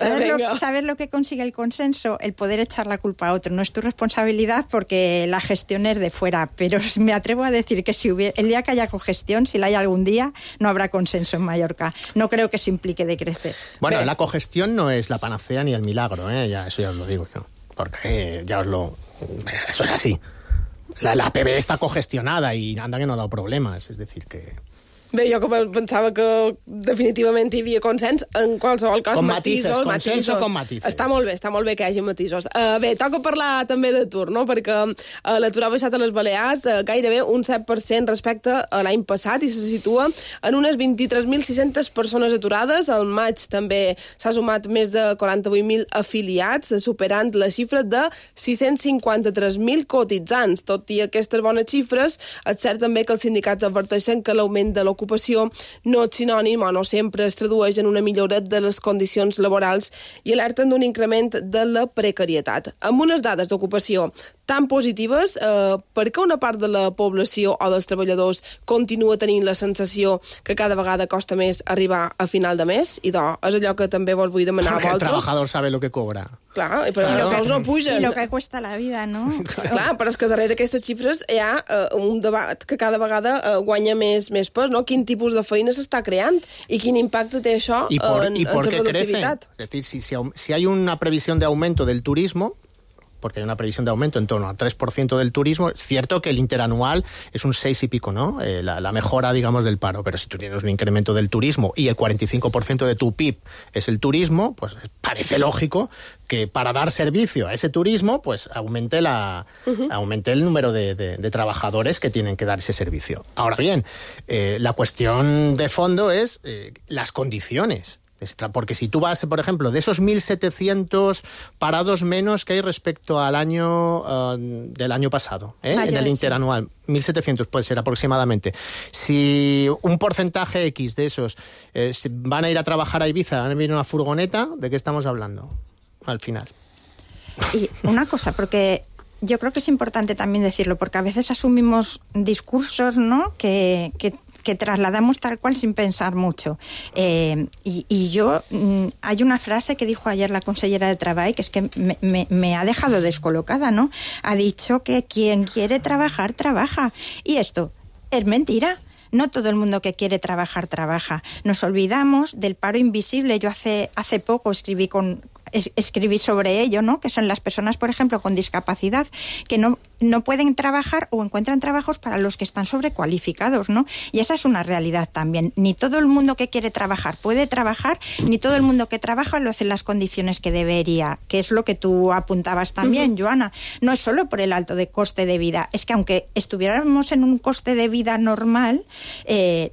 ¿Sabes lo que consigue el consenso? El poder echar la culpa a otro. No es tu responsabilidad porque la gestión es de fuera, pero me atrevo a decir que el día que haya cogestión, si la hay algún día, no habrá consenso en Mallorca. No creo que eso implique decrecer. Bueno, la cogestión no es la panacea ni el milagro, eso ya os lo digo yo, porque esto es así. La PB está congestionada y anda que no ha dado problemas, es decir que... Bé, jo pensava que definitivament hi havia consens, en qualsevol cas, matisos. Consenso con matisos. Està molt bé que hi hagi matisos. Bé, toca parlar també d'atur, no? Perquè l'atur ha baixat a les Balears gairebé un 7% respecte a l'any passat i se situa en unes 23.600 persones aturades. Al maig també s'ha sumat més de 48.000 afiliats, superant la xifra de 653.000 cotitzants. Tot i aquestes bones xifres, és cert també que els sindicats adverteixen que l'augment de l'ocupació d'ocupació no és sinònim o no sempre es tradueix en una millora de les condicions laborals i alerten d'un increment de la precarietat. Amb unes dades d'ocupació tan positives, per què una part de la població o dels treballadors continua tenint la sensació que cada vegada costa més arribar a final de mes? I és allò que també vos vull demanar a vosaltres. Porque el trabajador sabe lo que cobra. Clar, però els sous no pugen. I lo que cuesta la vida, no? Clar, però és que darrere aquestes xifres hi ha un debat que cada vegada guanya més pes, no? Quin tipus de feina s'està creant i quin impacte té això en la productivitat. Es decir, si hay una previsión de aumento del turismo, porque hay una previsión de aumento en torno al 3% del turismo, es cierto que el interanual es un 6 y pico, ¿no? La mejora, digamos, del paro, pero si tú tienes un incremento del turismo y el 45% de tu PIB es el turismo, pues parece lógico que para dar servicio a ese turismo, pues aumente el número de trabajadores que tienen que dar ese servicio. Ahora bien, la cuestión de fondo es las condiciones. Porque si tú vas, por ejemplo, de esos 1.700 parados menos que hay respecto al año del año pasado, en el interanual, 1.700 puede ser aproximadamente. Si un porcentaje X de esos van a ir a trabajar a Ibiza, van a venir una furgoneta, ¿de qué estamos hablando al final? Y una cosa, porque yo creo que es importante también decirlo, porque a veces asumimos discursos, ¿no?, que trasladamos tal cual sin pensar mucho. Y yo, hay una frase que dijo ayer la consellera de Trabajo que es que me ha dejado descolocada, ¿no? Ha dicho que quien quiere trabajar, trabaja. Y esto es mentira. No todo el mundo que quiere trabajar, trabaja. Nos olvidamos del paro invisible. Yo hace poco escribí sobre ello, ¿no? Que son las personas, por ejemplo, con discapacidad, que no pueden trabajar o encuentran trabajos para los que están sobrecualificados, ¿no? Y esa es una realidad también. Ni todo el mundo que quiere trabajar puede trabajar, ni todo el mundo que trabaja lo hace en las condiciones que debería, que es lo que tú apuntabas también, Joana. No es solo por el alto de coste de vida, es que aunque estuviéramos en un coste de vida normal,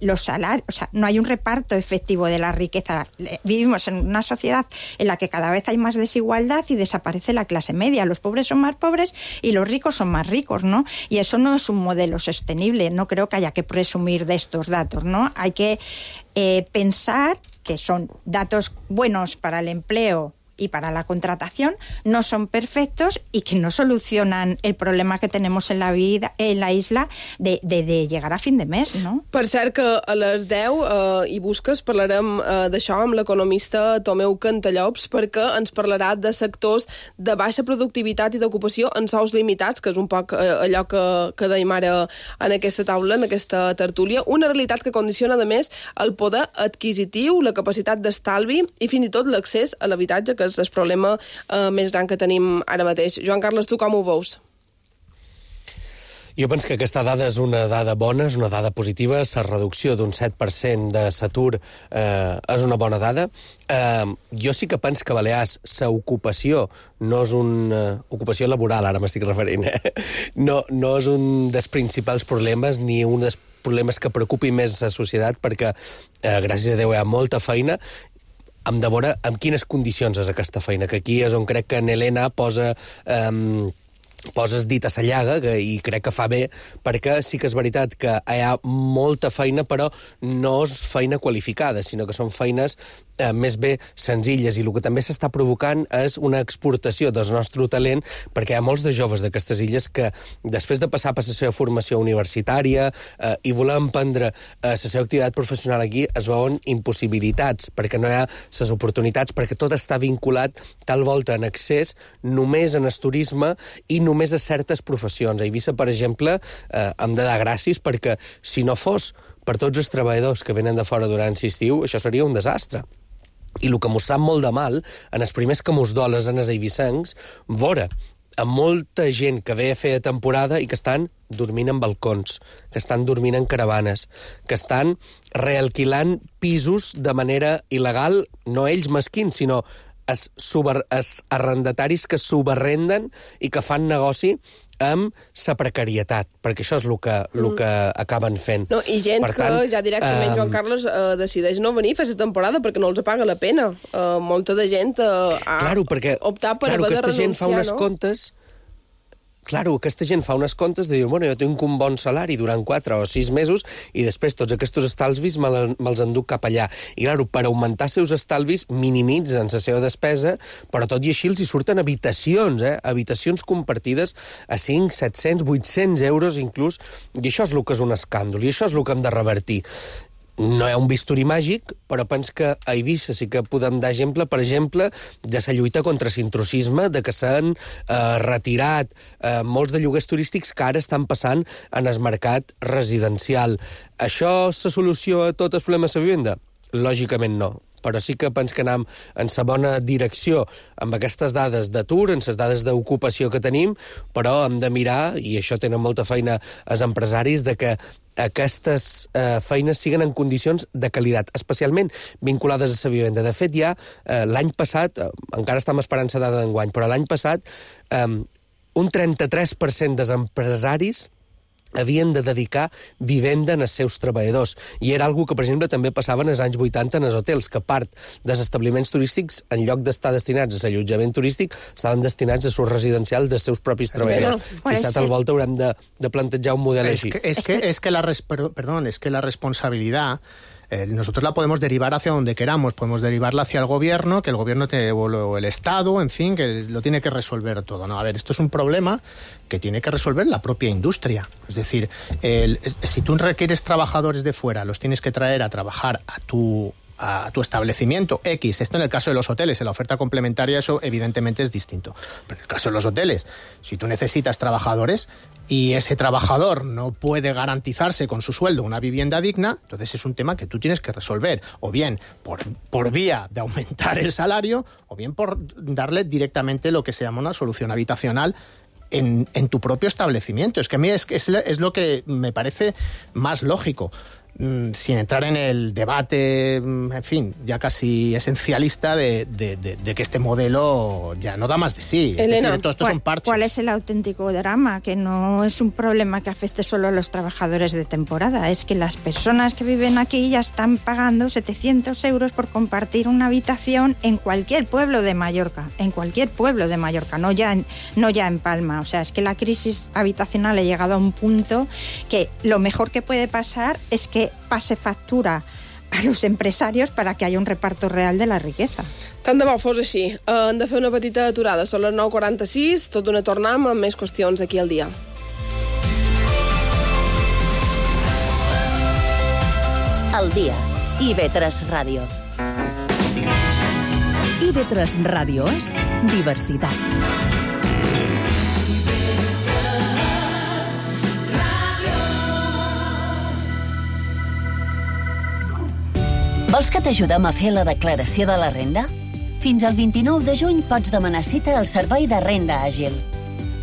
los salarios, o sea, no hay un reparto efectivo de la riqueza. Vivimos en una sociedad en la que cada vez hay más desigualdad y desaparece la clase media. Los pobres son más pobres y los ricos son más ricos, ¿no? Y eso no es un modelo sostenible. No creo que haya que presumir de estos datos, ¿no? Hay que pensar que son datos buenos para el empleo y para la contratación, no son perfectos y que no solucionan el problema que tenemos en la vida, en la isla de llegar a fin de mes, no? Per cert, que a les 10 i busques parlarem d'això amb l'economista Tomeu Cantallops, perquè ens parlarà de sectors de baixa productivitat i d'ocupació en sous limitats, que és un poc allò que dèiem ara en aquesta taula, en aquesta tertúlia, una realitat que condiciona, a més, el poder adquisitiu, la capacitat d'estalvi i fins i tot l'accés a l'habitatge, que és el problema més gran que tenim ara mateix. Joan Carles, tu com ho veus? Jo penso que aquesta dada és una dada bona, és una dada positiva. La reducció d'un 7% de l'atur és una bona dada. Jo sí que penso que a Balears l'ocupació no és una ocupació laboral, ara m'estic referint, no és un dels principals problemes ni un dels problemes que preocupi més la societat, perquè gràcies a Déu hi ha molta feina. Hem de veure en quines condicions és aquesta feina, que aquí és on crec que en Helena poses dit a la llaga, i crec que fa bé, perquè sí que és veritat que hi ha molta feina, però no és feina qualificada, sinó que són feines més bé senzilles, i el que també s'està provocant és una exportació del nostre talent, perquè hi ha molts de joves d'aquestes illes que després de passar per la seva formació universitària i voler emprendre la seva activitat professional aquí es veuen impossibilitats, perquè no hi ha les oportunitats, perquè tot està vinculat tal volta en accés només en el turisme i només a certes professions. A Eivissa, per exemple, hem de dar gràcies, perquè si no fos per tots els treballadors que venen de fora durant l'estiu, això seria un desastre. I el que mos sap molt de mal, en els primers que mos doles en els eivissencs, veure amb molta gent que ve a fer temporada i que estan dormint en balcons, que estan dormint en caravanes, que estan realquilant pisos de manera il·legal, no ells mesquins, sinó els arrendataris que subarrenden i que fan negoci amb la precarietat, perquè això és el que acaben fent. No, i gent que ja directament, Joan Carles, decideix no venir a fer la temporada perquè no els paga la pena. Molta de gent ha optat per haver de renunciar, aquesta gent fa unes comptes. claro, aquesta gent fa unes comptes de dir, bueno, jo tinc un bon salari durant 4 o 6 mesos i després tots aquests estalvis me'ls enduc cap allà. I, claro, per augmentar seus estalvis minimitzen la seva despesa, però tot i així els hi surten habitacions, habitacions compartides a 5, 700, 800 euros inclús, i això és el que és un escàndol, i això és el que hem de revertir. No hi ha un bisturí màgic, però pens que a Eivissa sí que podem dar exemple, per exemple, de la lluita contra l'intrusisme, de que s'han retirat molts de lloguers turístics que ara estan passant en el mercat residencial. Això és la solució a tot el problema de la vivenda? Lògicament no. Però sí que penso que anem en la bona direcció amb aquestes dades d'atur, en les dades d'ocupació que tenim, però hem de mirar, i això tenen molta feina els empresaris, de que aquestes feines siguen en condicions de qualitat, especialment vinculades a la vivenda. De fet, ja l'any passat, encara estem esperant la dada d'enguany, però l'any passat un 33% dels empresaris havien de dedicar vivenda als seus treballadors. I era algo que, per exemple, també passava en els anys 80 en els hotels, que part dels establiments turístics, en lloc d'estar destinats a l'allotjament turístic, estaven destinats a l'ús residencial dels seus propis treballadors. Quizá tal volta haurem de plantejar un model així. Es que la responsabilidad nosotros la podemos derivar hacia donde queramos, podemos derivarla hacia el gobierno, que el gobierno o el Estado, en fin, que lo tiene que resolver todo. No, a ver, esto es un problema que tiene que resolver la propia industria. Es decir, si tú requieres trabajadores de fuera, los tienes que traer a trabajar a tu establecimiento X. Esto en el caso de los hoteles, en la oferta complementaria eso evidentemente es distinto. Pero en el caso de los hoteles, si tú necesitas trabajadores y ese trabajador no puede garantizarse con su sueldo una vivienda digna, entonces es un tema que tú tienes que resolver, o bien por vía de aumentar el salario, o bien por darle directamente lo que se llama una solución habitacional en tu propio establecimiento. Es que a mí es lo que me parece más lógico. Sin entrar en el debate, en fin, ya casi esencialista de que este modelo ya no da más de sí. Elena, es decir, todo esto son parches. ¿Cuál es el auténtico drama? Que no es un problema que afecte solo a los trabajadores de temporada, es que las personas que viven aquí ya están pagando 700 euros por compartir una habitación en cualquier pueblo de Mallorca, no ya en Palma. O sea, es que la crisis habitacional ha llegado a un punto que lo mejor que puede pasar es que pase factura a los empresarios para que haya un reparto real de la riqueza. Tant de bo fos així. Hem de fer una petita aturada. Són les 9:46, tot d'una tornam amb més qüestions aquí al dia. Al dia. IB3 Ràdio. IB3 Ràdio és diversitat. Vols que t'ajudem a fer la declaració de la renda? Fins al 29 de juny pots demanar cita al Servei de Renda Àgil.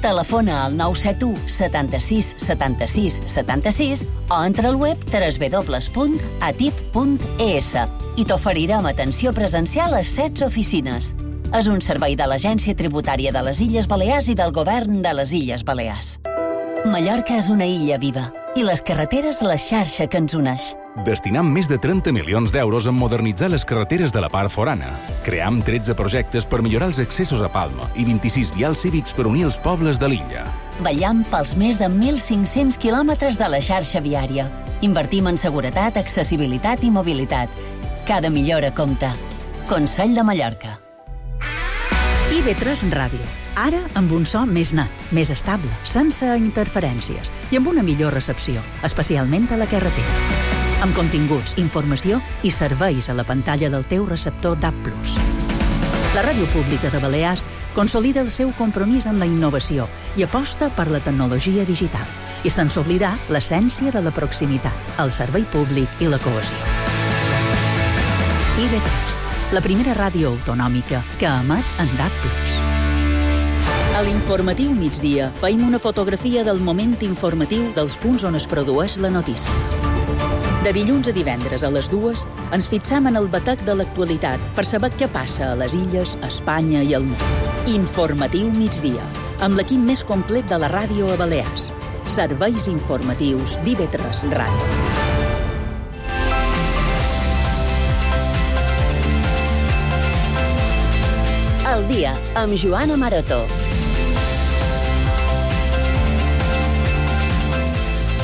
Telefona al 971 76 76 76 o entra al web www.atip.es i t'oferirem atenció presencial a 16 oficines. És un servei de l'Agència Tributària de les Illes Balears i del Govern de les Illes Balears. Mallorca és una illa viva i les carreteres la xarxa que ens uneix. Destinam més de 30 milions d'euros en modernitzar les carreteres de la part forana. Cream 13 projectes per millorar els accessos a Palma i 26 vials cívics per unir els pobles de l'illa. Vetllam pels més de 1.500 quilòmetres de la xarxa viària. Invertim en seguretat, accessibilitat i mobilitat. Cada millora compta. Consell de Mallorca. IB3 Ràdio. Ara amb un so més net, més estable, sense interferències i amb una millor recepció, especialment a la carretera. Amb continguts, informació i serveis a la pantalla del teu receptor DAB+. La Ràdio Pública de Balears consolida el seu compromís amb la innovació i aposta per la tecnologia digital, i sense oblidar l'essència de la proximitat, el servei públic i la cohesió. IB3, la primera ràdio autonòmica que emet en DAB+. A l'informatiu migdia feim una fotografia del moment informatiu dels punts on es produeix la notícia. De dilluns a divendres a les 2 ens fixam en el batec de l'actualitat per saber què passa a les illes, a Espanya i al món. Informatiu migdia, amb l'equip més complet de la ràdio a Balears. Serveis informatius d'IB3 Ràdio. Al dia, amb Joana Maroto.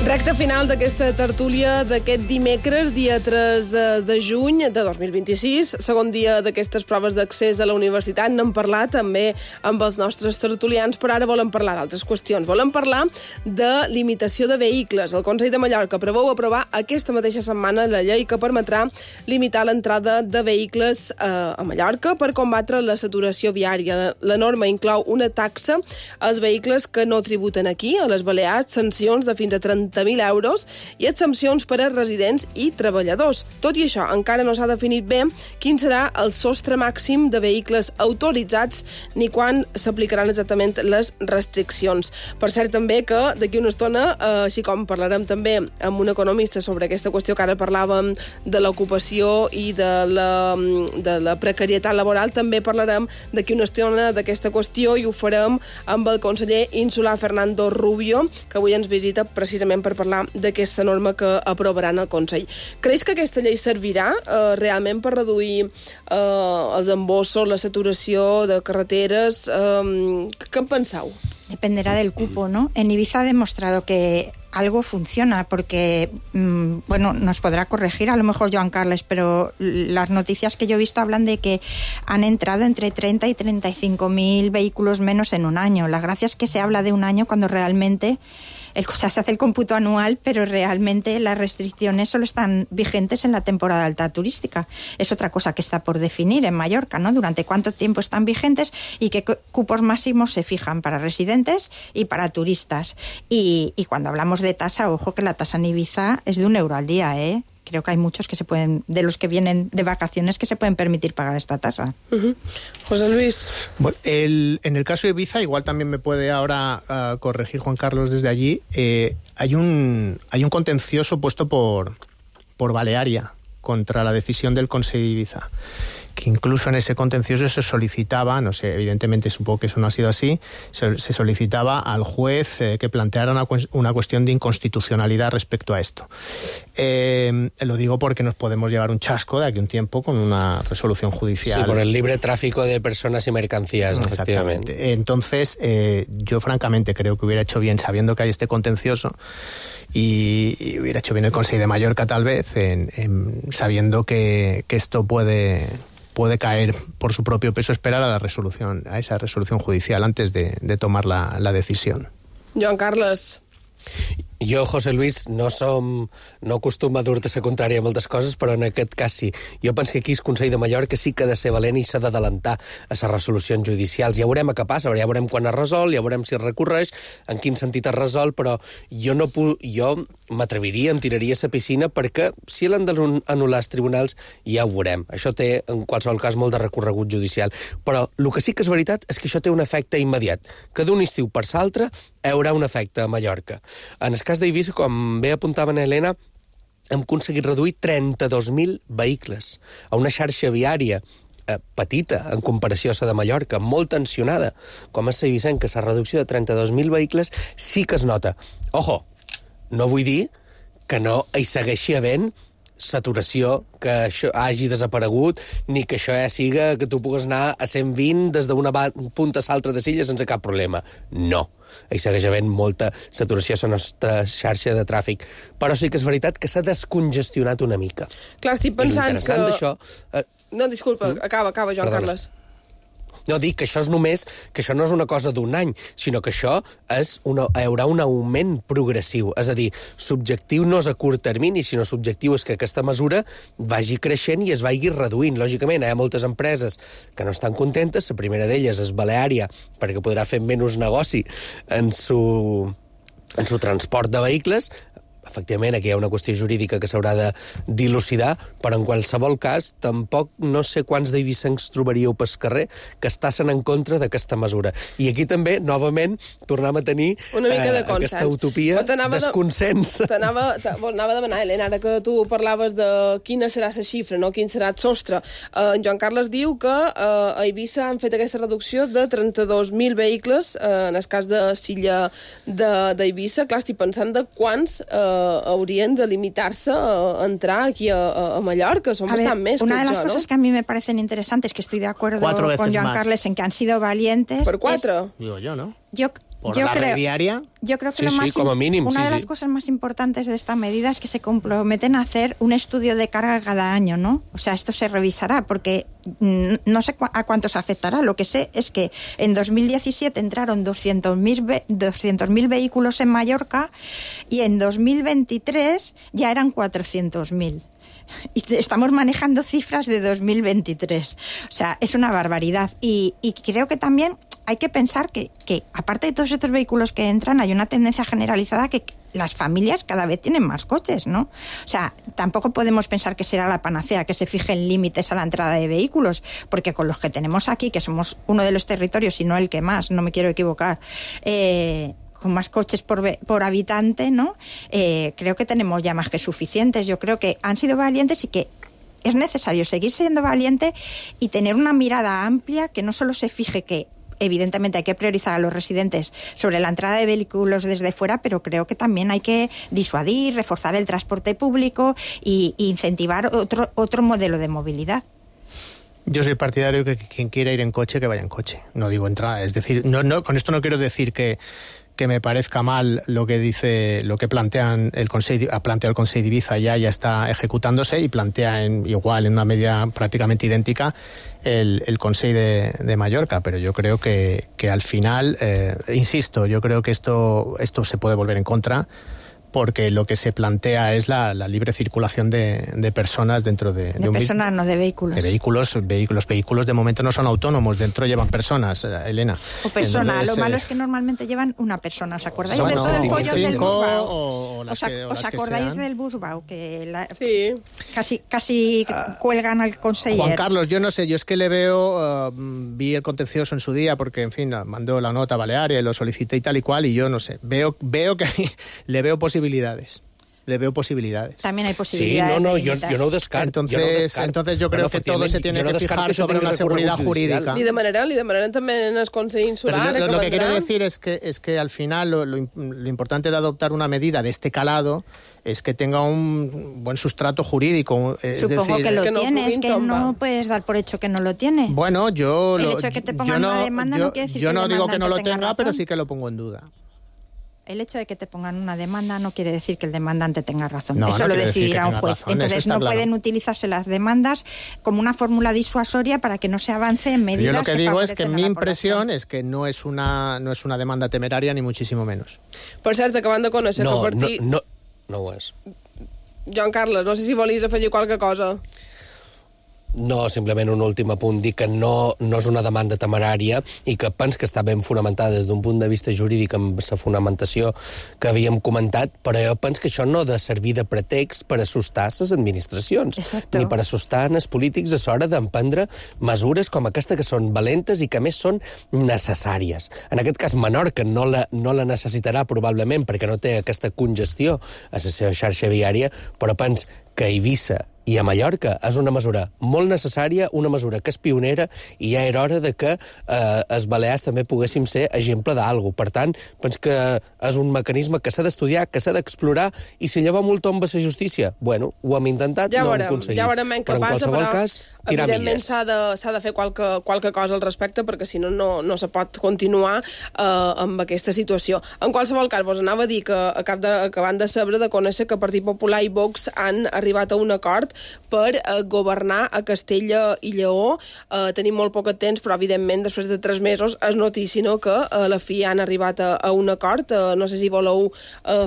Recte final d'aquesta tertúlia d'aquest dimecres, dia 3 de juny de 2026, segon dia d'aquestes proves d'accés a la universitat. N'hem parlat també amb els nostres tertulians, però ara volem parlar d'altres qüestions. Volem parlar de limitació de vehicles. El Consell de Mallorca preveu aprovar aquesta mateixa setmana la llei que permetrà limitar l'entrada de vehicles a Mallorca per combatre la saturació viària. La norma inclou una taxa als vehicles que no tributen aquí, a les Balears, sancions de fins a 30.000 euros i exempcions per a residents i treballadors. Tot i això, encara no s'ha definit bé quin serà el sostre màxim de vehicles autoritzats ni quan s'aplicaran exactament les restriccions. Per cert, també que d'aquí una estona, així com parlarem també amb un economista sobre aquesta qüestió que ara parlàvem de l'ocupació i de la precarietat laboral, també parlarem d'aquí una estona d'aquesta qüestió i ho farem amb el conseller insular Fernando Rubio, que avui ens visita precisament per parlar d'aquesta norma que aprovaran al Consell. Creus que aquesta llei servirà realment per reduir els embossos, la saturació de carreteres? Què en penseu? Dependerá del cupo, ¿no? En Ibiza ha demostrado que algo funciona, porque, bueno, nos podrá corregir a lo mejor Joan Carles, pero las noticias que yo he visto hablan de que han entrado entre 30 y 35.000 vehículos menos en un año. La gracia es que se habla de un año cuando realmente se hace el cómputo anual, pero realmente las restricciones solo están vigentes en la temporada alta turística. Es otra cosa que está por definir en Mallorca, ¿no? Durante cuánto tiempo están vigentes y qué cupos máximos se fijan para residentes y para turistas. Y cuando hablamos de tasa, ojo que la tasa en Ibiza es de €1 al día, ¿eh? Creo que hay muchos que de los que vienen de vacaciones, que se pueden permitir pagar esta tasa. José Luis. Bueno, en el caso de Ibiza, igual también me puede ahora corregir Juan Carlos desde allí, hay un contencioso puesto por Balearia contra la decisión del Consell de Ibiza, que incluso en ese contencioso se solicitaba, no sé, evidentemente supongo que eso no ha sido así, se solicitaba al juez que planteara una cuestión de inconstitucionalidad respecto a esto. Lo digo porque nos podemos llevar un chasco de aquí a un tiempo con una resolución judicial. Sí, por el libre tráfico de personas y mercancías, efectivamente. Entonces, yo francamente creo que hubiera hecho bien, sabiendo que hay este contencioso, y hubiera hecho bien el Consell de Mallorca tal vez, sabiendo que esto puede caer por su propio peso, esperar a esa resolución judicial antes de tomar la decisión. Joan Carles. Jo, José Luis, no acostumo a dur-te la contrària a moltes coses, però en aquest cas sí. Jo penso que aquí el Consell de Mallorca sí que ha de ser valent i s'ha d'adelantar a les resolucions judicials. Ja veurem què passa, ja veurem quan es resol, ja veurem si es recorreix, en quin sentit es resol, però jo m'atreviria, em tiraria a la piscina, perquè si l'han d'anul·lar els tribunals ja ho veurem. Això té, en qualsevol cas, molt de recorregut judicial. Però el que sí que és veritat és que això té un efecte immediat, que d'un estiu per l'altre hi haurà un efecte a Mallorca. En el cas d'Eivissa, com bé apuntava Helena, hem aconseguit reduir 32.000 vehicles a una xarxa viària petita en comparació a la de Mallorca, molt tensionada, com és Eivissa, que la reducció de 32.000 vehicles sí que es nota. Ojo, no vull dir que no hi segueixi havent saturació, que això hagi desaparegut, ni que això ja siga que tu pugues anar a 120 des d'una punta a l'altra de Silla sense cap problema. No. Hi segueix havent molta saturació a la nostra xarxa de tràfic. Però sí que és veritat que s'ha descongestionat una mica. Clar, estic pensant que... D'això... No, disculpa, acaba, Joan Carles. No, dic que això no és una cosa d'un any, sinó que això hi haurà un augment progressiu. És a dir, l'objectiu no és a curt termini, sinó l'objectiu és que aquesta mesura vagi creixent i es vagi reduint. Lògicament, hi ha moltes empreses que no estan contentes. La primera d'elles és Baleària, perquè podrà fer menys negoci en su transport de vehicles. Efectivament, aquí hi ha una qüestió jurídica que s'haurà de dilucidar, però en qualsevol cas, tampoc no sé quants d'eivissencs trobaríeu pel carrer que estassen en contra d'aquesta mesura. I aquí també, novament, tornem a tenir una mica de aquesta utopia desconsens. Anava a demanar, Helena, ara que tu parlaves de quina serà la xifra, no? Quin serà el sostre. En Joan Carles diu que a Eivissa han fet aquesta reducció de 32.000 vehicles, en el cas de Silla d'Eivissa. Clar, estic pensant de quants haurien de limitar-se a entrar aquí a Mallorca. Son bastant més. Una de las cosas que a mí me parecen interesantes, que estoy de acuerdo con Joan Carles en que han sido valientes... ¿Por 4? Digo yo, ¿no? por la red viaria. Yo creo que una de las cosas más importantes de esta medida es que se comprometen a hacer un estudio de carga cada año, ¿no? O sea, esto se revisará porque no sé a cuántos afectará. Lo que sé es que en 2017 entraron 200.000 vehículos en Mallorca y en 2023 ya eran 400.000. Y estamos manejando cifras de 2023. O sea, es una barbaridad. Y creo que también hay que pensar que aparte de todos estos vehículos que entran, hay una tendencia generalizada que las familias cada vez tienen más coches, ¿no? O sea, tampoco podemos pensar que será la panacea que se fijen límites a la entrada de vehículos, porque con los que tenemos aquí, que somos uno de los territorios, si no el que más, no me quiero equivocar, con más coches por habitante, ¿no? Creo que tenemos ya más que suficientes. Yo creo que han sido valientes y que es necesario seguir siendo valiente y tener una mirada amplia que no solo se fije que evidentemente hay que priorizar a los residentes sobre la entrada de vehículos desde fuera, pero creo que también hay que disuadir, reforzar el transporte público e incentivar otro modelo de movilidad. Yo soy partidario que quien quiera ir en coche, que vaya en coche. No digo entrada, es decir, no con esto no quiero decir que me parezca mal lo que plantean el Consell, plantea el Consell d'Ibiza ya está ejecutándose y plantea igual en una medida prácticamente idéntica el Consell de Mallorca, pero yo creo que al final, insisto, yo creo que esto se puede volver en contra, porque lo que se plantea es la libre circulación de personas dentro de personas, no de vehículos. De vehículos de momento no son autónomos, dentro llevan personas, Elena. O personas, entonces, lo malo es que normalmente llevan una persona. ¿Os acordáis de todo el follón del Busbau? ¿Os acordáis del Busbau? Que casi cuelgan al conseller. Juan Carlos, yo no sé, yo es que le veo, vi el contencioso en su día, porque en fin, mandó la nota a Balearia y lo solicité y tal y cual, y yo no sé, veo que le veo posibilidades. También hay posibilidades. Sí, yo no ho descarto. Entonces yo creo que todo se tiene que fijar sobre una seguridad jurídica. Li demanaran també en el Consell Insular. Pero lo que quiero decir es que al final lo importante de adoptar una medida de este calado es que tenga un buen sustrato jurídico. Supongo que lo tiene, es que no puedes dar por hecho que no lo tiene. Bueno, el hecho de que te pongan una demanda no quiere decir que el demandante digo que no lo tenga, razón. pero sí que lo pongo en duda. El hecho de que te pongan una demanda no quiere decir que el demandante tenga razón. No, eso no lo decidirá un juez. Razón, entonces no pueden utilizarse las demandas como una fórmula disuasoria para que no se avance en medidas. Yo lo que digo es que mi impresión es que no es una demanda temeraria ni muchísimo menos. Per cert, acabant de conèixer no, que partit... No ho és. Joan Carles, no sé si volies afegir qualque cosa. No, simplement un últim apunt, dir que no és una demanda temerària i que penso que està ben fonamentada des d'un punt de vista jurídic amb la fonamentació que havíem comentat, però jo penso que això no ha de servir de pretext per assustar les administracions, Exacto. ni per assustar els polítics a l'hora d'emprendre mesures com aquesta que són valentes i que a més són necessàries. En aquest cas, Menorca no la necessitarà probablement perquè no té aquesta congestió a la seva xarxa viària, però penso que Eivissa i a Mallorca és una mesura molt necessària, una mesura que és pionera i ja era hora de que els Balears també poguéssim ser exemple d'algú. Per tant, penso que és un mecanisme que s'ha d'estudiar, que s'ha d'explorar, i si llavors molt tomba la justícia, bueno, ho hem intentat, no ho hem aconseguit. Ja veurem però en qualsevol cas, tirar evidentment milles. s'ha de fer qualque cosa al respecte, perquè si no, no se pot continuar amb aquesta situació. En qualsevol cas, vos anava a dir que acabant de saber, de conèixer que Partit Popular i Vox han arribat a un acord per governar a Castella i Lleó. Tenim molt poc temps, però evidentment després de 3 mesos és notícia, no?, que a la fi han arribat a un acord. No sé si voleu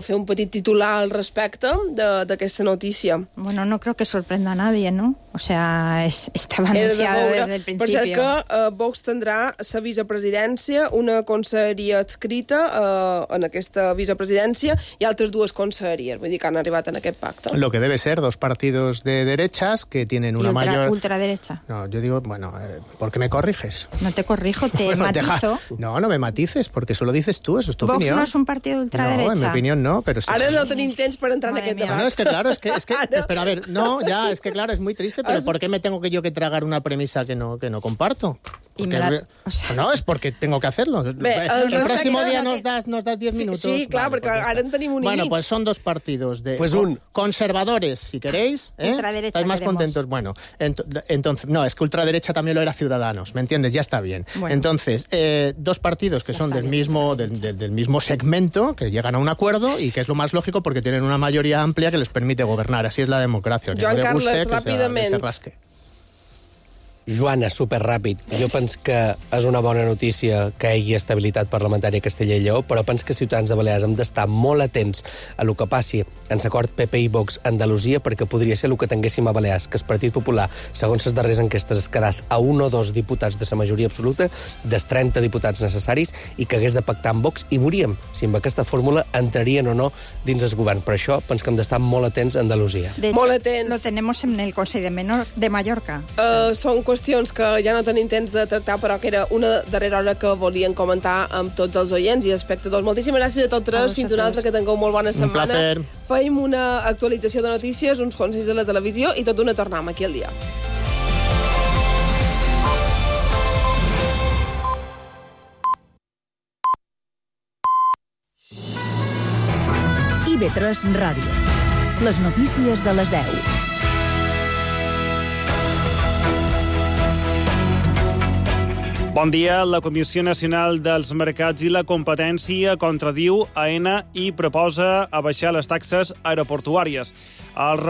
fer un petit titular al respecte d'aquesta notícia. Bueno, no creo que sorprenda a nadie, ¿no? O sea, estaba anunciado desde el principio. Per cert que Vox tindrà la vicepresidència, una conselleria adscrita en aquesta vicepresidència i altres 2 conselleries, vull dir que han arribat en aquest pacte. Lo que debe ser 2 partidos de derechas que tienen una mayor... ultraderecha. No, yo digo, bueno, ¿por qué me corriges? No te corrijo, te matizo. No me matices, porque eso lo dices tú, eso es tu Vox opinión. no es un partido de ultraderecha. No, en mi opinión no, pero... Sí. Ara no tenim temps per entrar en aquest debat. No, es que claro, es que pero a ver, no, ya, es que claro, es muy triste, pero ¿por qué me tengo yo que tragar una premisa que no comparto? No, es porque tengo que hacerlo. El próximo día nos das 10 minutos. Sí, claro, porque ahora en tenim un Bueno, i mig. pues son dos partidos de conservadores, si queréis. Ultraderecha. ¿Estáis más contentos? Bueno, entonces, no, es que ultraderecha también lo era Ciudadanos, ¿me entiendes? Ya está bien. Bueno. Entonces, dos partidos que son del mismo segmento, que llegan a un acuerdo y que es lo más lógico porque tienen una mayoría amplia que les permite gobernar. Así es la democracia. Joan Carles, ràpidament. Que se rasque. Joana, superràpid. Jo penso que és una bona notícia que hi hagi estabilitat parlamentària a Castella i Lleó, però penso que Ciutadans de Balears hem d'estar molt atents a lo que passi en l'acord PP i Vox a Andalusia, perquè podria ser el que tinguéssim a Balears, que el Partit Popular, segons les darreres enquestes, es quedàs a 1 o 2 diputats de la majoria absoluta, dels 30 diputats necessaris, i que hagués de pactar amb Vox, i veuríem si amb aquesta fórmula entrarien o no dins el govern. Per això penso que hem d'estar molt atents a Andalusia. De hecho, lo tenemos en el Consell de Mallorca. Són qüestions que ja no tenim temps de tractar, però que era una darrera hora que volien comentar amb tots els oients i espectadors. Moltíssimes gràcies a tots tres. Fins una altra, que tingueu molt bona setmana. Un placer. Feim una actualització de notícies, uns consells de la televisió i tot una tornam aquí al dia. IB3 Ràdio. Les notícies de les 10. Bon dia. La Comissió Nacional dels Mercats i la Competència contradiu AENA i proposa abaixar les taxes aeroportuàries. El